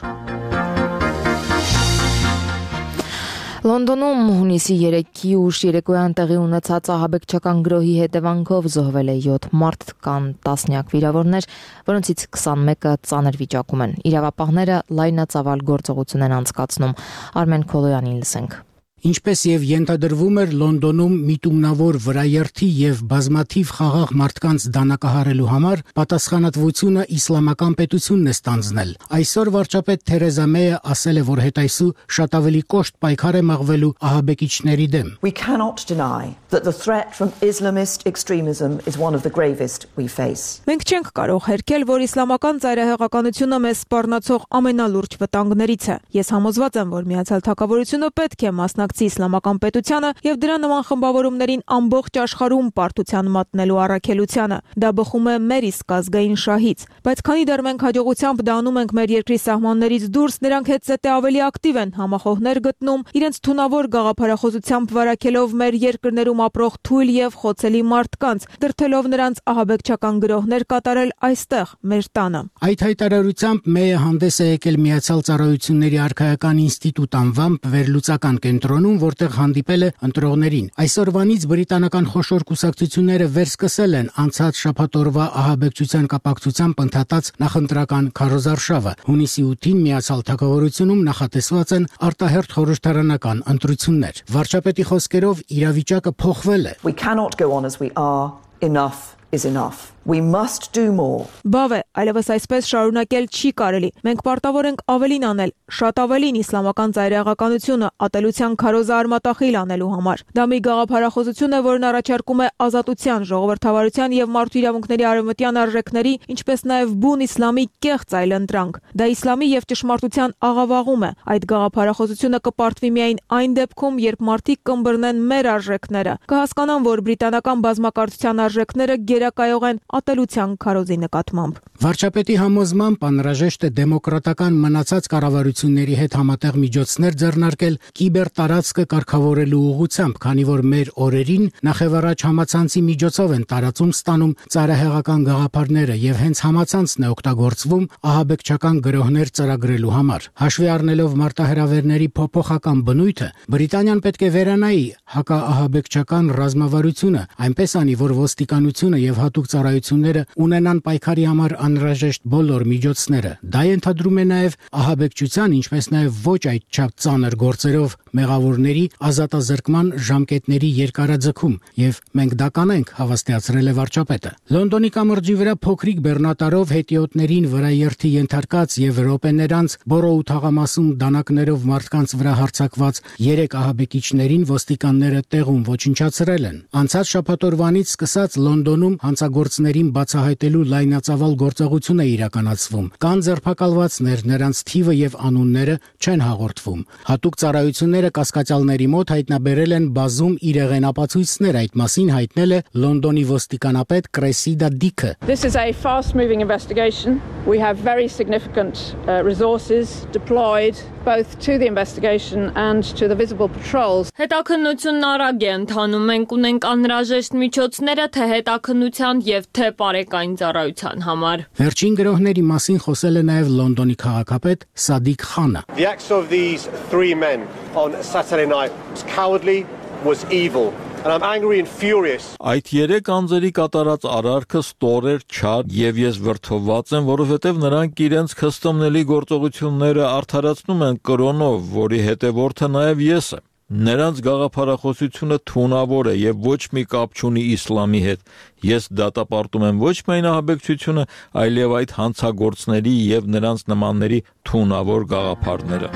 Լոնդոնում հունիսի երեքի ուշ երեկոյան տեղի ունեցած ահաբեկչական գրոհի հետևանքով զոհվել է յոթ մարդ, կան տասնյակ վիրավորներ, որոնցից քսանմեկը ծանր վիճակում են։ Իրավապահները լայնածավալ գործողություն են անցկացնում։ Արմեն Քոլոյանին լսենք։ Ինչպես եւ ենթադրվում էր, Լոնդոնում միտումնավոր վրաերթի եւ բազմաթիվ խաղաղ մարդկանց դանակահարելու համար պատասխանատվությունը իսլամական պետությունն է ստանձնել։ Այսօր վարչապետ Թերեզա Մեյը ասել է, որ հետայսու շատ ավելի կոշտ պայքար է մղվելու ահաբեկիչների դեմ։ We cannot deny that the threat from Islamist extremism is one of the gravest we face. Մենք չենք կարող հերքել, որ իսլամական ծայրահեղականությունը մեզ սպառնացող ամենալուրջ վտանգներից է։ Ես համոզված եմ, որ Միացյալ Թագավորությունը պետք է մասնակցի իսլամական պետությանը եւ դրա նման խմբավորումներին ամբողջ աշխարհում պարտության մատնելու առաքելությանը։ Դա բխում է մեր իսկ ազգային շահից, բայց քանի դեռ մենք հաջողությամբ դա անում ենք մեր երկրի սահմաններից դուրս, նրանք հետզհետե ավելի ակտիվ են համախոհներ գտնում, իրենց թունավոր գաղափարախոսությամբ վարակելով մեր երկրներում ապրող թույլ եւ խոցելի մարդկանց, դրթելով նրանց ահաբեկչական գրոհներ կատարել այստեղ, մեր տանը։ Այդ հայտարարությամբ Մեյը հանդես է եկել Միացյալ Ծառայությունների արքայական ինստիտուտ անվամբ վերլուծական կենտրոնում, որտեղ հանդիպել է ընտրողներին։ Այսօրվանից բրիտանական խոշոր կուսակցությունները վերսկսել են անցած շաբաթօրվա ահաբեկչության կապակցությամբ ընդհատած նախընտրական քարոզարշավը։ Հունիսի ութին Միացյալ Թագավորությունում նախատեսված են արտահերթ խորհրդարանական ընտրություններ։ Վարչապետի խոսքերով իրավիճակը փոխվել է։ We cannot go on as we are. Enough is enough. We must do more. Բավ է, այլևս այսպես շարունակել չի կարելի։ Մենք պարտավոր ենք ավելին անել, շատ ավելին իսլամական ծայրահեղականությունը ատելության քարոզը արմատախիլ անելու համար։ Դա մի գաղափարախոսություն է, որն առաջարկում է ազատության, ժողովրդավարության եւ մարդու իրավունքների արևմտյան արժեքների, ինչպես նաեւ բուն իսլամի կեղծ այլընտրանք։ Դա իսլամի եւ ճշմարտության աղավաղում է։ Այդ գաղափարախոսությունը կպարտվի միայն այն դեպքում, երբ մարդիկ կըմբռնեն մեր արժեքները, կհասկանան, որ բրիտանական բազմակարծության արժեքները գերակայող են ատելության քարոզի նկատմամբ։ Վարչապետի համոզմամբ անհրաժեշտ է դեմոկրատական մնացած կառավարությունների հետ համատեղ միջոցներ ձեռնարկել կիբեր տարածքը կարգավորելու ուղղությամբ, քանի որ մեր օրերին նախևառաջ համացանցի միջոցով են տարածում ստանում ծայրահեղական գաղափարները եւ հենց համացանցն է օգտագործվում ահաբեկչական գրոհներ ծրագրելու համար։ Հաշվի առնելով մարտահրավերների փոփոխական բնույթը, Բրիտանիան պետք է վերանայի հակաահաբեկչական ռազմավարությունը, այնպես անի, որ ոստիկանությունը եւ հատուկ ծառայությունները ունենան պայքարի համար անհրաժեշտ բոլոր միջոցները։ Դա ենթադրում է նաև ահաբեկչության, ինչպես նաև ոչ այդչափ ծանր գործերով մեղավորների ազատազրկման ժամկետների երկարաձգում, եւ մենք դա կանենք, հավաստիացրել է վարչապետը։ Լոնդոնի կամրջի վրա փոքրիկ բեռնատարով հետիոտներին վրաերթի ենթարկած եւ րոպեներ անց Բորոու թաղամասում դանակներով մարդկանց վրա հարձակված երեք ահաբեկիչներին ոստիկանները տեղում ոչնչացրել են։ Անցած շաբաթօրվանից սկսած Լոնդոնում հանցագործներին բացահայտելու լայնածավալ գործողություն է իրականացվում։ Կան ձերբակալվածներ, նրանց թիվը եւ անունները չեն հաղորդվում։ Հատուկ ծառայությունները կասկածյալների մոտ հայտնաբերել են բազում իրեղեն ապացույցներ, այդ մասին հայտնել է Լոնդոնի ոստիկանապետ Կրեսիդա Դիքը։ This is a fast-moving investigation. We have very significant uh, resources deployed both to the investigation and to the visible patrols. Հետաքննությունն արագ է ընթանում, մենք ունենք անհրաժեշտ միջոցները թե հետաքննության եւ թե բարեկային ծառայության համար։ Վերջին գրոհների մասին խոսել է նաեւ Լոնդոնի քաղաքապետ Սադիկ Խանը։ The acts of these three men on Saturday night was cowardly, was evil. And I'm angry and furious. Այդ երեք անձերի կատարած արարքը ստոր էր, չար, եւ ես վրդովված եմ, որովհետեւ նրանք իրենց քստոմնելի գործողությունները արդարացնում են կրոնով, որի հետևորդը նաեւ ես եմ։ Նրանց գաղափարախոսությունը թունավոր է եւ ոչ մի կապ չունի իսլամի հետ։ Ես դատապարտում եմ ոչ միայն ահաբեկչությունը, այլև այդ հանցագործների եւ նրանց նմանների թունավոր գաղափարները։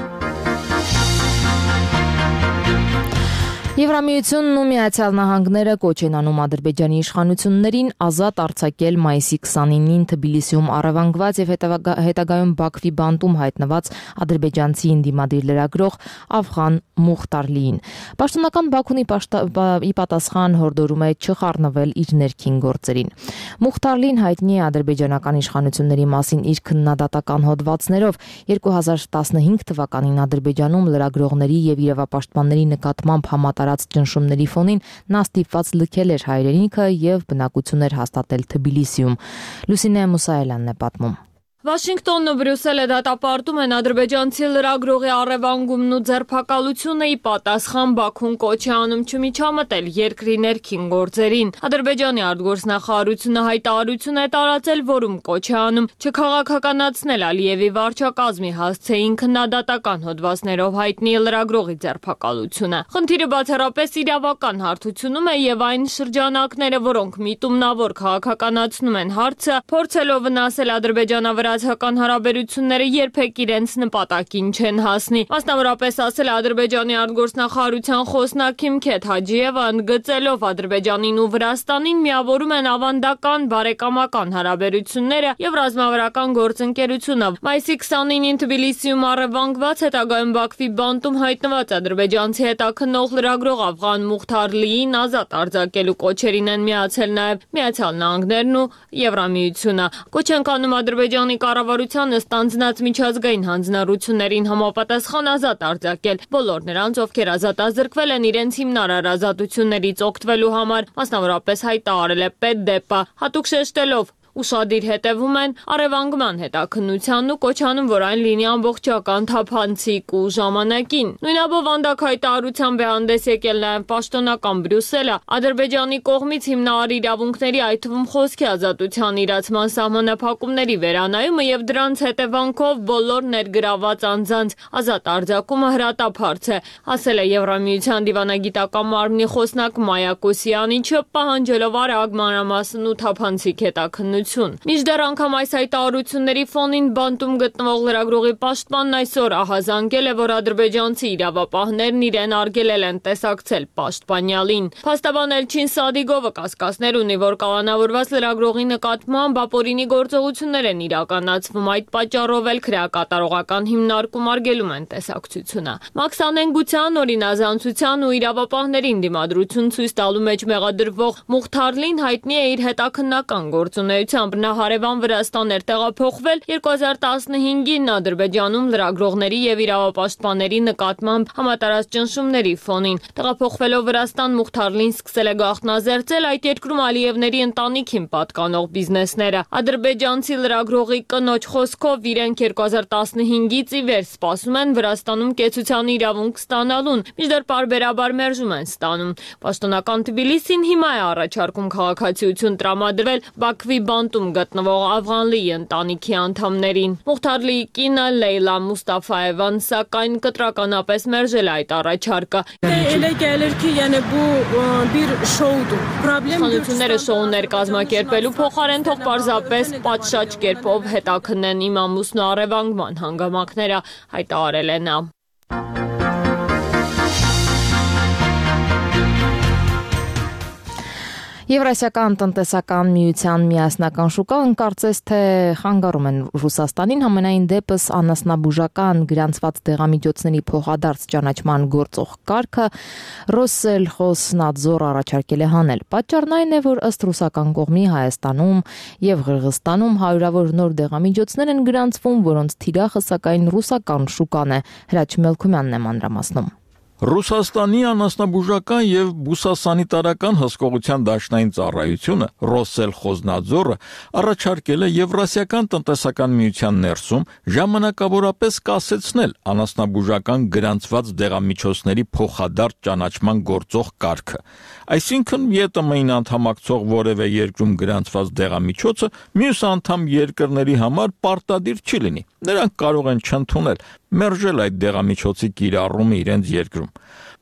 Եվրամիությունն ու Միացյալ Նահանգները կոչ են անում Ադրբեջանի իշխանություններին ազատ արձակել մայիսի քսանինին Թբիլիսիում առևանգված եւ հետագայում Բաքվի բանտում հայտնված ադրբեջանցի ընդդիմադիր լրագրող Աֆղան Մուխտարլիին։ Պաշտոնական Բաքունի ի պատասխան հորդորում է չխառնվել իր ներքին գործերին։ Մուխտարլին հայտնի է ադրբեջանական իշխանությունների մասին իր քննադատական հոդվածներով երկու հազար տասնհինգ թվականին Ադրբեջանում լրագրողների եւ իրավապաշտպանների նկատմամբ համատարած ճնշումների ֆոնին նա ստիպված լքել էր հայրենիքը եւ բնակություն էր հաստատել Թբիլիսիում։ Լուսինե Մուսայելյանն է պատմում։ Վաշինգտոնն ու Բրյուսելը դատապարտում են ադրբեջանցի լրագրողի առևանգումն ու ձերբակալությունը ի պատասխան Բաքուն կոչ է անում չմիջամտել երկրի ներքին գործերին։ Ադրբեջանի արտգործնախարարությունը հայտարարություն է տարածել, որում կոչ է անում չքաղաքականացնել Ալիևի վարչակազմի հասցեին քննադատական հոդվածներով հայտնի լրագրողի ձերբակալությունը։ Խնդիրը բացառապես իրավական հարթությունում է եւ այն շրջանակները, որոնք միտումնավոր քաղաքականացնում են հարցը, փորձելով վնասել ադրբեջանավրա Հական հարաբերությունները երբեք իրենց նպատակին չեն հասնի։ Մասնավորապես ասել Ադրբեջանի արտգործնախարարության խոսնակ Քիմքեթ Հաջիևը ընդգծելով Ադրբեջանին ու Վրաստանին միավորում են ավանդական բարեկամական հարաբերությունները եւ ռազմավարական գործընկերությունը։ Մայիսի քսանինին Թբիլիսիում առևանգված հետագայում Բաքվի բանտում հայտնված ադրբեջանցի հետաքննող լրագրող Աֆղան Մուխթարլիին ազատ արձակելու կոչերին են միացել նաեւ Միացյալ Նահանգներն ու Եվրամիությունը։ Կոչ են կանում Ադրբեջանի կառավարությանը ստանձնած միջազգային հանձնառություններին համապատասխան ազատ արձակել բոլոր նրանց, ովքեր ազատազրկվել են իրենց հիմնարար ազատություններից օգտվելու համար, մասնավորապես հայտարարել է Պետդեպը, հատուկ շեշտելով ուշադիր հետևում են առևանգման հետաքննությանն ու կոչանում, որ այն լինի ամբողջական թափանցիկ ու ժամանակին։ Նույնաբով վանդակ հայտարարությամբ է հանդես եկել նաև պաշտոնական Բրյուսելը Ադրբեջանի կողմից հիմնարար իրավունքների, այդ թվում խոսքի ազատության իրացման սահմանափակումների վերանայումը եւ դրանց հետևանքով բոլոր ներգրաված անձանց ազատ արձակումը հրատապարծ է, ասել է Եվրամիության դիվանագիտական մարմնի խոսնակ Մայա Կոսյանիչը, պահանջելով արագ մանրամասն ու թափանցիկ հետաքննություն։ Մինչդեռ անգամ այս հայտարարությունների ֆոնին բանտում գտնվող լրագրողի պաշտպանն այսօր ահազանգել է, որ ադրբեջանցի իրավապահներն իրեն արգելել են տեսակցել պաշտպանյալին։ Փաստաբան Էլչին Սադիգովը կասկածներ ունի, որ կալանավորված լրագրողի նկատմամբ ապօրինի գործողություններ են իրականացվում, այդ պատճառով էլ քրեակատարողական հիմնարկում արգելում են տեսակցությունը։ Մաքսանենգության, օրինազանցության ու իրավապահներին դիմադրություն ցույց տալու մեջ մեղադրվող Մուխթարլին հայտնի է իր հետաքննական գործունեությամբ։ Նա հարևան Վրաստան էր տեղափոխվել երկու հազար տասնհինգին Ադրբեջանում լրագրողների եւ իրավապաշտպանների նկատմամբ համատարած ճնշումների ֆոնին։ Տեղափոխվելով Վրաստան Մուխթարլին սկսել է գաղտնազերծել այդ երկրում Ալիևների ընտանիքին պատկանող բիզնեսները։ Ադրբեջանցի լրագրողի կնոջ խոսքով իրենք երկու հազար տասնհինգից ի վեր սպասում են Վրաստանում կեցության իրավունք ստանալուն, մինչդեռ պարբերաբար մերժում են ստանում։ Պաշտոնական Թբիլիսին հիմա է առաջարկում քաղաքացիություն տրամադրել Բաքվի բանտում գտնվող Աֆղանլիի ընտանիքի անդամներին։ Մուխթարլիի կինը Լեյլա Մուստաֆաևան սակայն կտրականապես մերժել այդ առաջարկը։ Իշխանությունները շոուներ կազմակերպելու փոխարեն թող պարզապես պատշաճ կերպով հետաքննեն իմ ամուսնու առևանգման հանգամանքները, հայտարարել է նա։ Եվրասիական տնտեսական միության միասնական շուկան կարծես թե խանգարում են Ռուսաստանին, համենայն դեպս անասնաբուժական գրանցված դեղամիջոցների փոխադարձ ճանաչման գործող կարգը Ռոսելխոզնադզոր առաջարկել է հանել։ Պատճառն այն է, որ ըստ ռուսական կողմի Հայաստանում եւ Ղրղստանում հարյուրավոր նոր դեղամիջոցներ են գրանցվում, որոնց թիրախը սակայն ռուսական շուկան է։ Հրաչ Մելքումյանն է մանրամասնում։ Ռուսաստանի անասնաբուժական եւ բուսասանիտարական հսկողության դաշնային ծառայությունը Ռոսելխոզնադզորը առաջարկել է Եվրասիական տնտեսական միության ներսում ժամանակավորապես կասեցնել անասնաբուժական գրանցված դեղամիջոցների փոխադարձ ճանաչման գործող կարգը։ Այսինքն ԵՏՄ-ին անդամակցող որևէ երկրում գրանցված դեղամիջոցը մյուս անդամ երկրների համար պարտադիր չի լինի։ Նրանք կարող են չընդունել, մերժել այդ դեղամիջոցի կիրառումը իրենց երկրում։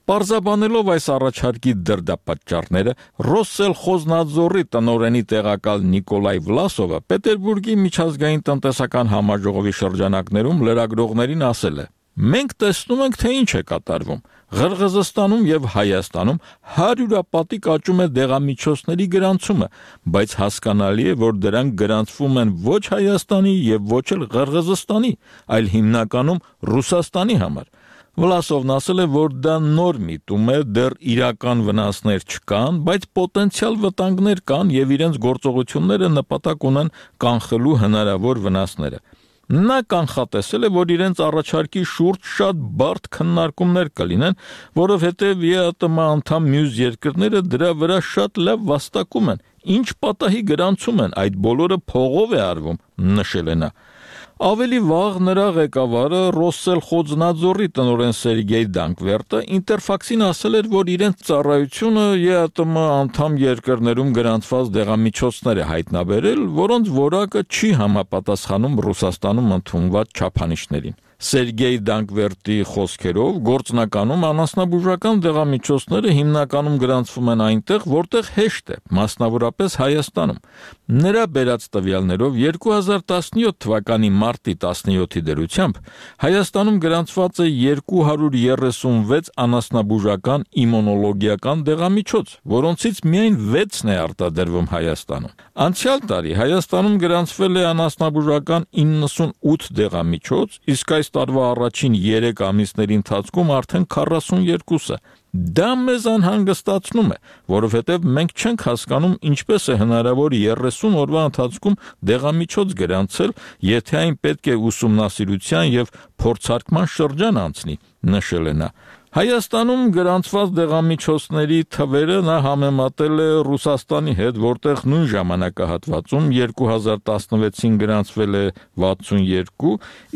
Պարզաբանելով այս առաջարկի դրդապատճառները, Ռոսելխոզնադզորի տնօրենի տեղակալ Նիկոլայ Վլասովը Պետերբուրգի միջազգային տնտեսական համաժողովի շրջանակներում լրագրողներին ասել է. «Մենք տեսնում ենք, թե ինչ է կատարվում։ Ղրղզստանում եւ Հայաստանում հարյուրապատիկ աճում է դեղամիջոցների գրանցումը, բայց հասկանալի է, որ դրանք գրանցվում են ոչ Հայաստանի եւ ոչ էլ Ղրղզստանի, այլ հիմնականում Ռուսաստանի համար»։ Վլասովն ասել է, որ դա նոր միտում է, դեռ իրական վնասներ չկան, բայց պոտենցիալ վտանգներ կան եւ իրենց գործողությունները նպատակ ունեն կանխելու հնարավոր վնասները։ Նա կանխատեսել է, որ իրենց առաջարկի շուրջ շատ բարդ քննարկումներ կլինեն, որովհետև ԵԱՏՄ անդամ մյուս երկրները դրա վրա շատ լավ վաստակում են, ինչ պատահի գրանցում են, այդ բոլորը փողով է արվում, նշել է նա։ Ավելի վաղ նրա ղեկավարը Ռոսսել Խոձնաձորի տնօրեն Սերգեյ Դանկվերտը Ինտերֆաքսին ասել էր, որ իրենց ծառայությունը ԵԱՏՄ անդամ երկրներում գրանցված դեղամիջոցներ է հայտնաբերել, որոնց որակը չի համապատասխանում Ռուսաստանում ընդունված չափանիշներին։ Սերգեյ Դանկվերտի խոսքերով գործնականում անասնաբուժական դեղամիջոցները հիմնականում գրանցվում են այնտեղ, որտեղ հեշտ է, մասնավորապես Հայաստանում։ Նրա բերած տվյալներով երկու հազար տասնյոթ թվականի մարտի տասնյոթի դրությամբ Հայաստանում գրանցված է երկու հարյուր երեսունվեց անասնաբուժական իմունոլոգիական դեղամիջոց, որոնցից միայն վեցն է արտադրվում Հայաստանում։ Անցյալ տարի Հայաստանում գրանցվել է անասնաբուժական իննսունութ դեղամիջոց, իսկ այս տարվա առաջին երեք ամիսների ընթացքում արդեն քառասունյոթը։ Դա մեզ անհանգստացնում է, որովհետև մենք չենք հասկանում ինչպես է հնարավոր երեսուն օրվա ընթացքում դեղամիջոց գրանցել, եթե այն պետք է ուսումնասիրության եւ փորձարկման շրջան անցնի, նշել է նա։ Հայաստանում գրանցված դեղամիջոցների թվերը նա համեմատել է Ռուսաստանի հետ, որտեղ նույն ժամանակահատվածում երկու հազար տասնվեցին գրանցվել է վաթսունյոթ,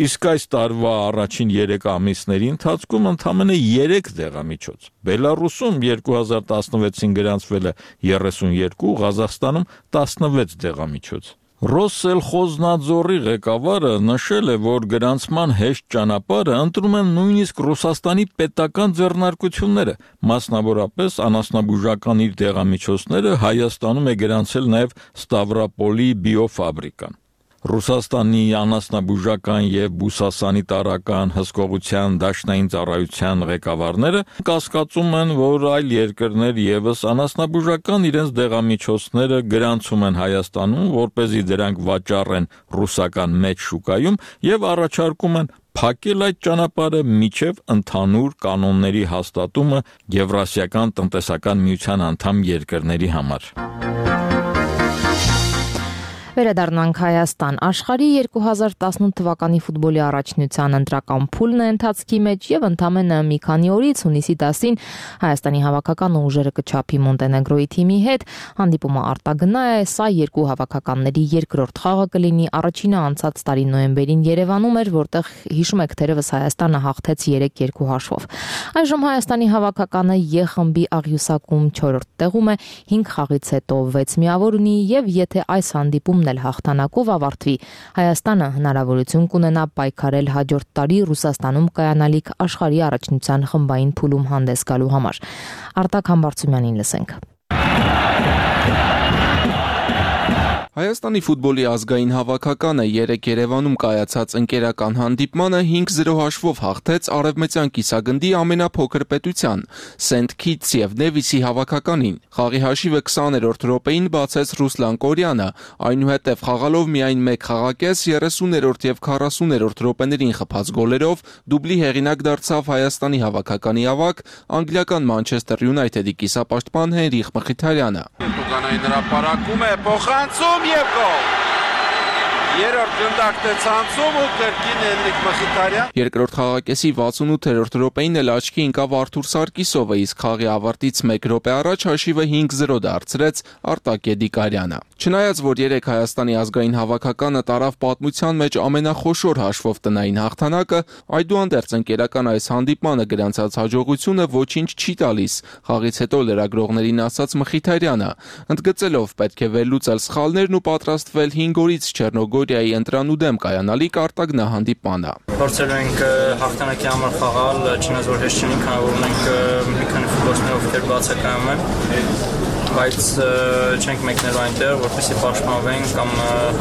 իսկ այս տարվա առաջին երեք ամիսների ընթացքում ընդամենը երեք դեղամիջոց։ Բելարուսում երկու հազար տասնվեցին գրանցվել է երեսունյոթ, Ղազախստանում տասնվեց դեղամիջոց։ Ռոսսել Խոձնաձորի ղեկավարը նշել է, որ գրանցման հեշտ ճանապարհը ընտրում են նույնիսկ Ռուսաստանի պետական ձեռնարկությունները, մասնավորապես անասնաբուժական իր դեղամիջոցները Հայաստանում է գրանցել նաև Ստավրապոլի բիոֆաբրիկան։ Ռուսաստանի անասնաբուժական եւ բուսասանիտարական հսկողության դաշնային ծառայության ղեկավարները կասկածում են, որ այլ երկրներ եւս անասնաբուժական իրենց դեղամիջոցները գրանցում են Հայաստանում, որպեսզի դրանք վաճառեն ռուսական մեծ շուկայում եւ առաջարկում են փակել այդ ճանապարհը միջև ընդհանուր կանոնների հաստատումը Եվրասիական տնտեսական միության անդամ երկրների համար։ Վերադառնանք Հայաստան։ Աշխարհի երկու հազար տասնութ թվականի ֆուտբոլի առաջնության ընտրական փուլն է ընթացքի մեջ եւ ընդամենը մի քանի օրից հունիսի տասին Հայաստանի հավաքական ուժերը կչափի Մոնտենեգրոյի թիմի հետ հանդիպումը արտագնա է, սա երկու հավաքականների երկրորդ խաղը կլինի, առաջինը անցած տարի նոյեմբերին Երևանում էր, որտեղ հիշում եք թերևս Հայաստանը հաղթեց երեք երկու հաշվով։ Այժմ Հայաստանի հավաքականը Ե խմբի աղյուսակում չորրորդ տեղում է, հինգ խաղից հետո վեց միավոր ունի եւ եթե այս հանդիպում էլ հաղթանակով ավարտվի, Հայաստանը հնարավորություն կունենա պայքարել հաջորդ տարի Ռուսաստանում կայանալիք աշխարհի առաջնության խմբային փուլում հանդես գալու համար։ Արտակ Համբարձումյանին լսենք։ Հայաստանի ֆուտբոլի ազգային հավաքականը երեկ Երևանում կայացած ընկերական հանդիպմանը հինգ զրո հաշվով հաղթեց Արևմտյան կիսագնդի ամենափոքր պետության Սենթ Քիթս եւ Նևիսի հավաքականին։ Խաղի հաշիվը քսաներորդ րոպեին բացեց Ռուսլան Կորյանը, այնուհետև խաղալով միայն մեկ խաղակես երեսուներորդ եւ քառասուներորդ րոպեներին խփած գոլերով դուբլի հեղինակ դարձավ Հայաստանի հավաքականի ավագ անգլիական Մանչեսթեր Յունայթեդի կիսապաշտպան Հենրիխ Մխիթարյանը։ Տուգանային հրապարակում է փոխանցում եւ գոլ։ Երրորդ գնդակն է ցանցում ու կրկին Հենրիխ Մխիթարյան։ Երկրորդ խաղակեսի վաթսունութերորդ րոպեին էլ աչքի ընկավ Արթուր Սարգիսովը, իսկ խաղի ավարտից մեկ րոպե առաջ հաշիվը հինգ զրո դարձրեց Արտակ Եդիկարյանը։ Չնայած որ երեք Հայաստանի ազգային հավաքականը տարավ պատմության մեջ ամենախոշոր հաշվով տնային հաղթանակը, այդուհանդերձ ընկերական այս հանդիպմանը գրանցած հաջողությունը ոչինչ չի տալիս, խաղից հետո լրագրողներին ասաց Մխիթարյանը, ընդգծելով պետք է վերլուծել սխալներն ու պատրաստվել հինգ օրից Չեռնոգորիայի ընտրանու դեմ կայանալիք արտագնահանդիպմանը։ Փորձել ենք հաղթանակի համար խաղալ, չնայած որ հեշտ չէ, քանի որ մենք մի քանի ֆուտբոլիստներ ովքեր բացակայում են, բայց չենք մեկնել այնտեղ, որպեսզի պաշտպանվենք կամ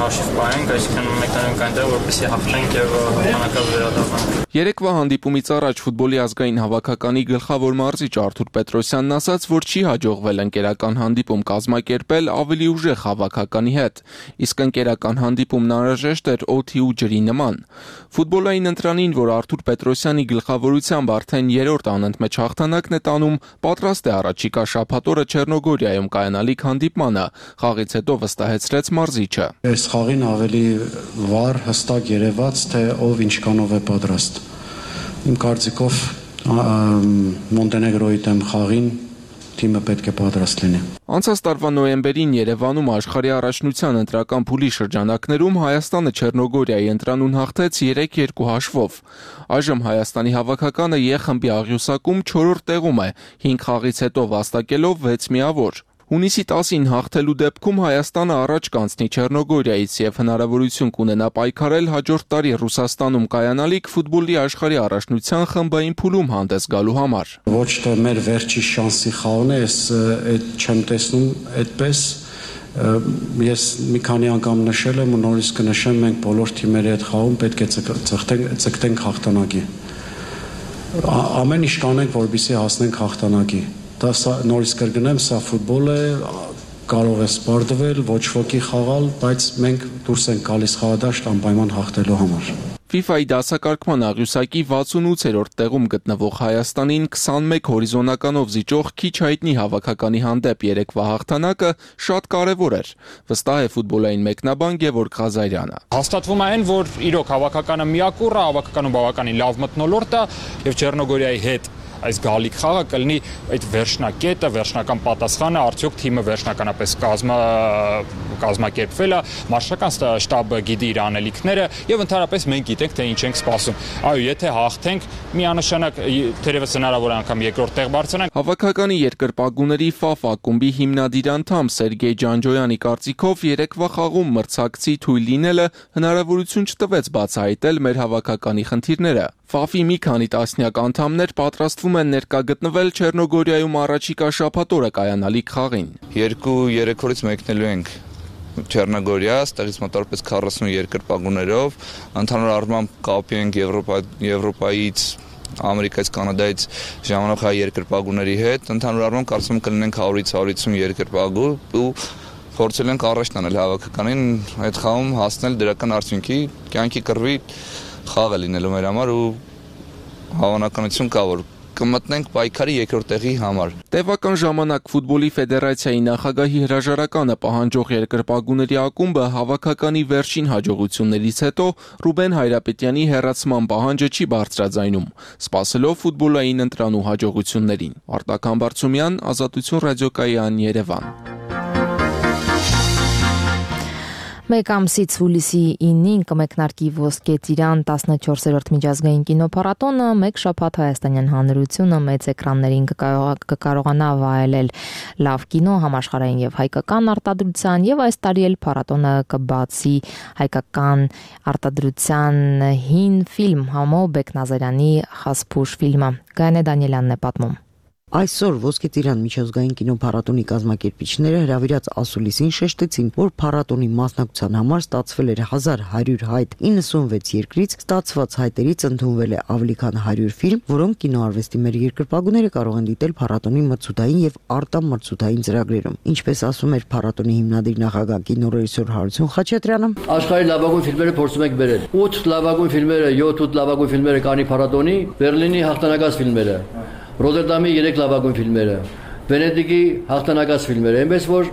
հաշիվ պահենք, այսինքն մեկնենք այնտեղ, որպեսզի հաղթենք եւ հաղթանակը վերադառնանք։ Երեկվա հանդիպումից առաջ ֆուտբոլի ազգային հավաքականի գլխավոր մարզիչ Արթուր Պետրոսյանն ասաց, որ չի հաջողվել ընկերական հանդիպում կազմակերպել ավելի ուժեղ հավաքականի հետ, իսկ ընկերական հանդիպումն անհրաժեշտ էր օդի ու ջրի նման։ Ֆուտբոլային ընտրանին, որ Արթուր Պետրոսյանի գլխավորությամբ արդեն երրորդ անընդմեջ հաղթանակն է տանում, պատրաստ է առաջիկա շաբաթօրը Չեռնոգորիայում կայանալիք հանդիպմանը, խաղից հետո վստահեցրեց մարզիչը։ Այս խաղին ավելի վառ, հստակ երևաց, թե ով ինչքանով է պատրաստ։ Իմ կարծիքով Մոնտենեգրոյի դեմ խաղին թիմը պետք է պատրաստ լինի։ Անցած տարվա նոյեմբերին Երևանում աշխարհի առաջնության ընտրական փուլի շրջանակներում Հայաստանը Չեռնոգորիայի ընտրանուն հաղթեց երեք երկու հաշվով։ Այժմ Հայաստանի հավաքականը Ե խմբի աղյուսակում չորրորդ տեղում է, հինգ խաղից հետո վաստակելով վեց միավոր։ Հունիսի տասին հաղթելու դեպքում Հայաստանը առաջ կանցնի Չեռնոգորիայից եւ հնարավորություն կունենա պայքարել հաջորդ տարի Ռուսաստանում կայանալիք ֆուտբոլի աշխարհի առաջնության խմբային փուլում հանդես գալու համար։ Ոչ թե մեր վերջի շանսի խաղն է, ես այդ չեմ տեսնում այդպես։ Ես մի քանի անգամ նշել եմ ու նորից կնշեմ, մենք բոլոր թիմերի հետ խաղում պետք է ցկտենք ցկտենք հաղթանակի։ Ամեն ինչ կանենք, որպեսզի հասնենք հաղթանակի։ Դա նորից կրկնեմ, սա ֆուտբոլ է, կարող է սպարտվել, ոչ ոքի խաղալ, բայց մենք դուրս ենք գալիս խաղադաշտ անպայման հաղթելու համար։ FIFA-ի դասակարգման աղյուսակի վաթսունութերորդ տեղում գտնվող Հայաստանին քսանմեկ հորիզոնականով զիջող քիչ հայտնի հավաքականի հանդեպ երեկվա հաղթանակը շատ կարևոր էր, վստահ է ֆուտբոլային մեկնաբան Գևորգ Ղազարյանը։ Հաստատվում է այն, որ իրոք հավաքականը միակուռ է, հավաքականում բավականին լավ մթնոլորտ է եւ Չեռնոգորիայի հետ այս գալիք խաղը կլինի այդ վերջնակետը, վերջնական պատասխանը, արդյոք թիմը վերջնականապես կազմա կազմակերպվել է, մարշական շտաբը գիտի իր անելիքները եւ ընդհանրապես մենք գիտենք թե ինչ ենք սպասում։ Այո, եթե հաղթենք, միանշանակ թերևս հնարավոր անգամ երկրորդ տեղ բարձրանանք։ Հավաքականի երկրպագուների Ֆաֆ ակումբի հիմնադիր անդամ Սերգեյ Ջանջոյանի կարծիքով երեկվա խաղում մրցակցի թույլ լինելը հնարավորություն չտվեց բացահայտել մեր հավաքականի խնդիրները։ Ֆաֆի մի քանի տասնյակ անդամներ պատրաստվում են ներկա գտնվել Չեռնոգորիայում առաջիկա շաբաթօրը կայանալիք խաղին։ Երկու երեք օրից մեկնելու ենք Չեռնոգորիա, ստեղից մոտավորապես քառասուն երկրպագուներով, ընդհանուր առմամբ կապի ենք Եվրոպայից, Ամերիկայից, Կանադայից ժամանակ հայ երկրպագուների հետ, ընդհանուր առմամբ կարծում եմ կլինենք հարյուրից հարյուր երկրպագու ու փորձել ենք առաջ տանել հավաքականին այդ խաղում հասնել դրական արդյունքի, կյանքի կռվի խաղ է լինելու մեր համար ու հավանականություն կա, որ կմտնենք պայքարի երկրորդ տեղի համար։ Տևական ժամանակ ֆուտբոլի ֆեդերացիայի նախագահի հրաժարականը պահանջող երկրպագուների ակումբը հավաքականի վերջին հաջողություններից հետո Ռուբեն Հայրապետյանի հեռացման պահանջը չի բարձրաձայնում, սպասելով ֆուտբոլային ընտրանու հաջողություններին։ Արտակ Համբարձումյան, Ազատություն ռադիոկայան, Երևան։ Մեկ ամսից հուլիսի ինին կմեկնարկի Ոսկե ծիրան տասնչորսերորդ միջազգային կինոփառատոնը, մեկ շաբաթ Հայաստանյան Հանրությունը մեծ էկրաններին կկարողանա վայելել լավ կինո, համաշխարհային եւ հայկական արտադրության, եւ այս տարի էլ փառատոնը կբացի հայկական արտադրության հին ֆիլմ Համո Բեկնազարյանի Խասփուշ ֆիլմը։ Գայանե Դանիելյանն է պատմում։ Այսօր Ոսկե ծիրան միջազգային կինոփառատոնի կազմակերպիչները հրավիրած ասուլիսին շեշտեցին, որ փառատոնի մասնակցության համար ստացվել էր հազար հարյուր հայտ իննսունվեց երկրից, ստացված հայտերից ընդունվել է ավելի քան հարյուր ֆիլմ, որոնք կինոարվեստի մեր երկրպագուները կարող են դիտել փառատոնի մրցութային եւ արտամրցութային ծրագրերում։ Ինչպես ասում էր փառատոնի հիմնադիր նախագահ կինոռեժիսոր Հարություն Խաչատրյանը, աշխարհի լավագույն ֆիլմերը փորձում ենք բերել։ ութ լավագույն ֆիլմերը, յոթ լավագույն ֆիլմերը կանի փառատոնի, Բերլինի հաղթանակած ֆիլմերը, Ռոդերդամի երեք լավագույն ֆիլմերը, Վենետիկի հաղթանակած ֆիլմերը, այնպես որ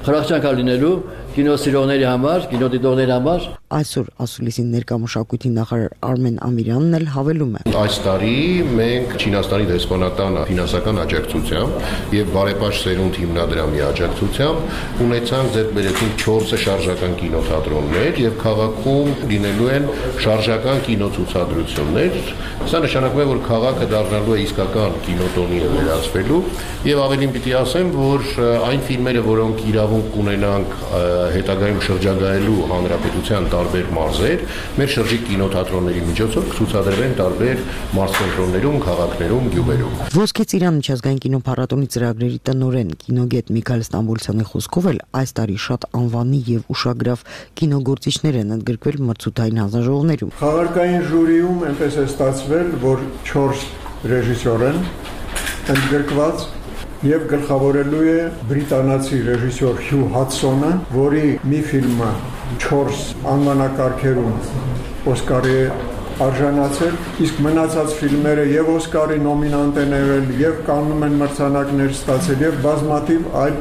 խրախճանք է լինելու կինոսիրողների համար, կինոդիտողների համար։ Այսօր ասուլիսին ներկա մշակույթի նախարար Արմեն Ամիրյանն էլ հավելում է. Այս տարի մենք Չինաստանի դեսպանատան ֆինանսական աջակցությամբ եւ բարեպաշտ սերունդ հիմնադրամի աջակցությամբ ունեցանք ձեռք բերեցինք չորս շարժական կինոթատրոններ եւ քաղաքում լինելու են շարժական կինոցուցադրություններ։ Սա նշանակում է, որ քաղաքը դառնալու է իսկական կինոտոնի վերածվելու եւ ավելին պիտի ասեմ, որ այն ֆիլմերը, որոնք իրավունք ունենանք հետագայում շրջագայելու հանրապետության տարբեր մարզեր, մեր շրջիկ կինոթատրոնների միջոցով կցուցադրվեն տարբեր մարզկենտրոններում, քաղաքներում, գյուղերում։ Ոսկե ծիրան միջազգային կինոփառատոնի ծրագրերի տնօրեն կինոգետ Միքայել Ստամբոլցյանի խոսքով էլ այս տարի շատ անվանի եւ ուշագրավ կինոգործիչներ են ընդգրկվել մրցութային հանձնաժողովներում։ Խաղարկային ժյուրիում այնպես է ստացվել, որ չորս ռեժիսոր են ընդգրկված եւ գլխավորելու է բրիտանացի ռեժիսոր Հյու Հադսոնը, որի մի ֆիլմը չորս անվանակարգերում Օսկարի արժանացել, իսկ մնացած ֆիլմերը եւ Օսկարի նոմինանտ են եղել, եւ կաննում են մրցանակներ ստացել, եւ բազմաթիվ այլ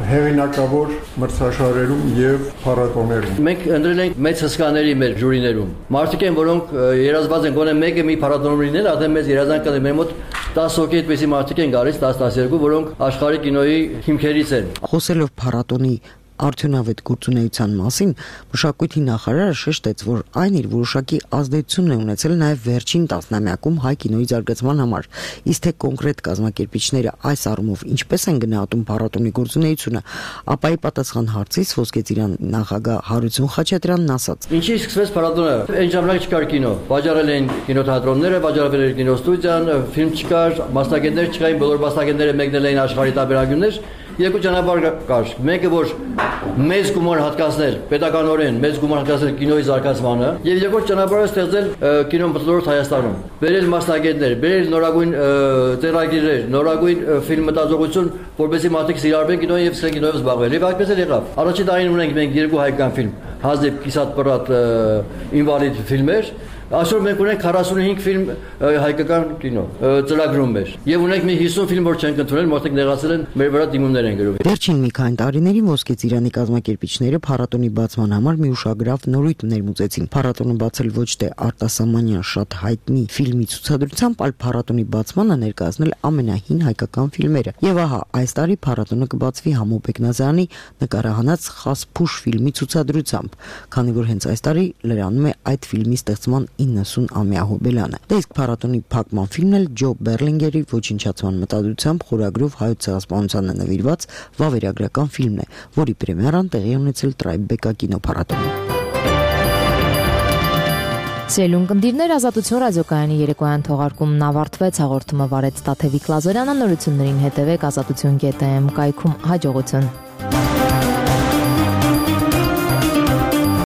հեղինակավոր մրցաշարերում եւ փառատոներում։ Մենք ընտրել ենք մեծ հսկաների մեր ժյուրիներում։ Մարդիկ են, որոնք երազված են գոնե մեկը մի փառատոնում լինել, արդեն մեծ երազանք կա մեր մոտ տասը հոգի այդպեսի մարդիկ են գալիս, տասը տասներկու, որոնք աշխարհի կինոյի հիմքերից են։ Խոսելով փառատոնի արդյունավետ գործունեության մասին մշակույթի նախարարը շեշտեց, որ այն իր որոշակի ազդեցություն է ունեցել նաև վերջին տասնամյակում հայ կինոյի զարգացման համար, իսկ թե կոնկրետ կազմակերպիչները այս առումով ինչպես են գնահատում փառատոնի գործունեությունը, ապա ի պատասխան հարցից Ոսկե ծիրան նախագահ Հարություն Խաչատրյանն ասաց. Ինչի սկսվեց փառատոնը, այն ժամանակ չկար կինո, վաճառել էին կինոթատրոնները, վաճառվել էր կինոստուդիան, ֆիլմ չկար, մասնագետներ չկային, բոլոր մասնագետները մեկնել էին աշխարհի տարբերակություններ։ Երկու ճանապարհ կար։ Մեկը որ մեծ գումար հատկացնել, պետականորեն մեծ գումար հատկացնել կինոյի զարգացմանը, եւ երկրորդ ճանապարհը ստեղծել կինո մթնոլորտ Հայաստանում։ Բերել մասնագետներ, բերել նորագույն ծերագիրներ, նորագույն ֆիլմ մտածողություն, որովհետեւ մարդիկ սիրարվեն կինոյին եւ սկսեն կինոյով զբաղվել։ Եվ այդպես էլ եղավ։ Առաջին տարին ունենք մենք երկու հայկական ֆիլմ, Հազիվ Կիսատ Պրատ ինվալիդ ֆիլմեր։ Այսօր մենք ունենք քառասունհինգ ֆիլմ հայկական կինո ծրագրում մեր եւ ունենք մի հիսուն ֆիլմ որ չենք ընդունել, մարդիկ նեղացել են մեր վրա դիմումներ են գրում։ Վերջին մի քանի տարիներին Ոսկե ծիրանի կազմակերպիչները փառատոնի բացման համար մի ուշագրավ նորույթ ներմուծեցին։ Փառատոնը բացել ոչ թե արտասահմանյան շատ հայտնի ֆիլմի ցուցադրությամբ, այլ փառատոնի բացմանը ներկայացնել ամենահին հայկական ֆիլմերը։ Եւ ահա այս տարի փառատոնը կբացվի Համո Բեկնազարյանի նկարահանած Խասփուշ ֆիլմի ցուցադրությամբ, քանի որ հենց այս տարի լրանում է այդ ֆիլմի ստեղծման իննսուն-ամյա հոբելյանը։ Դա իսկ փառատոնի փակման ֆիլմն էլ Ջո Բերլինգերի ոչնչացման մտադրությամբ խորագրով հայոց ցեղասպանությանը նվիրված վավերագրական ֆիլմն է, որի պրեմիերան տեղի ունեցել Տրայբեկա կինոփառատոնում։ Սիրելուն կնդիրներ, Ազատություն ռադիոկայանի երեկոյան թողարկումն ավարտվեց, հաղորդումը վարեց Տաթևիկ Լազարյանը, նորություններին հետևեք ազատություն կետ էմ կայքում, հաջողություն։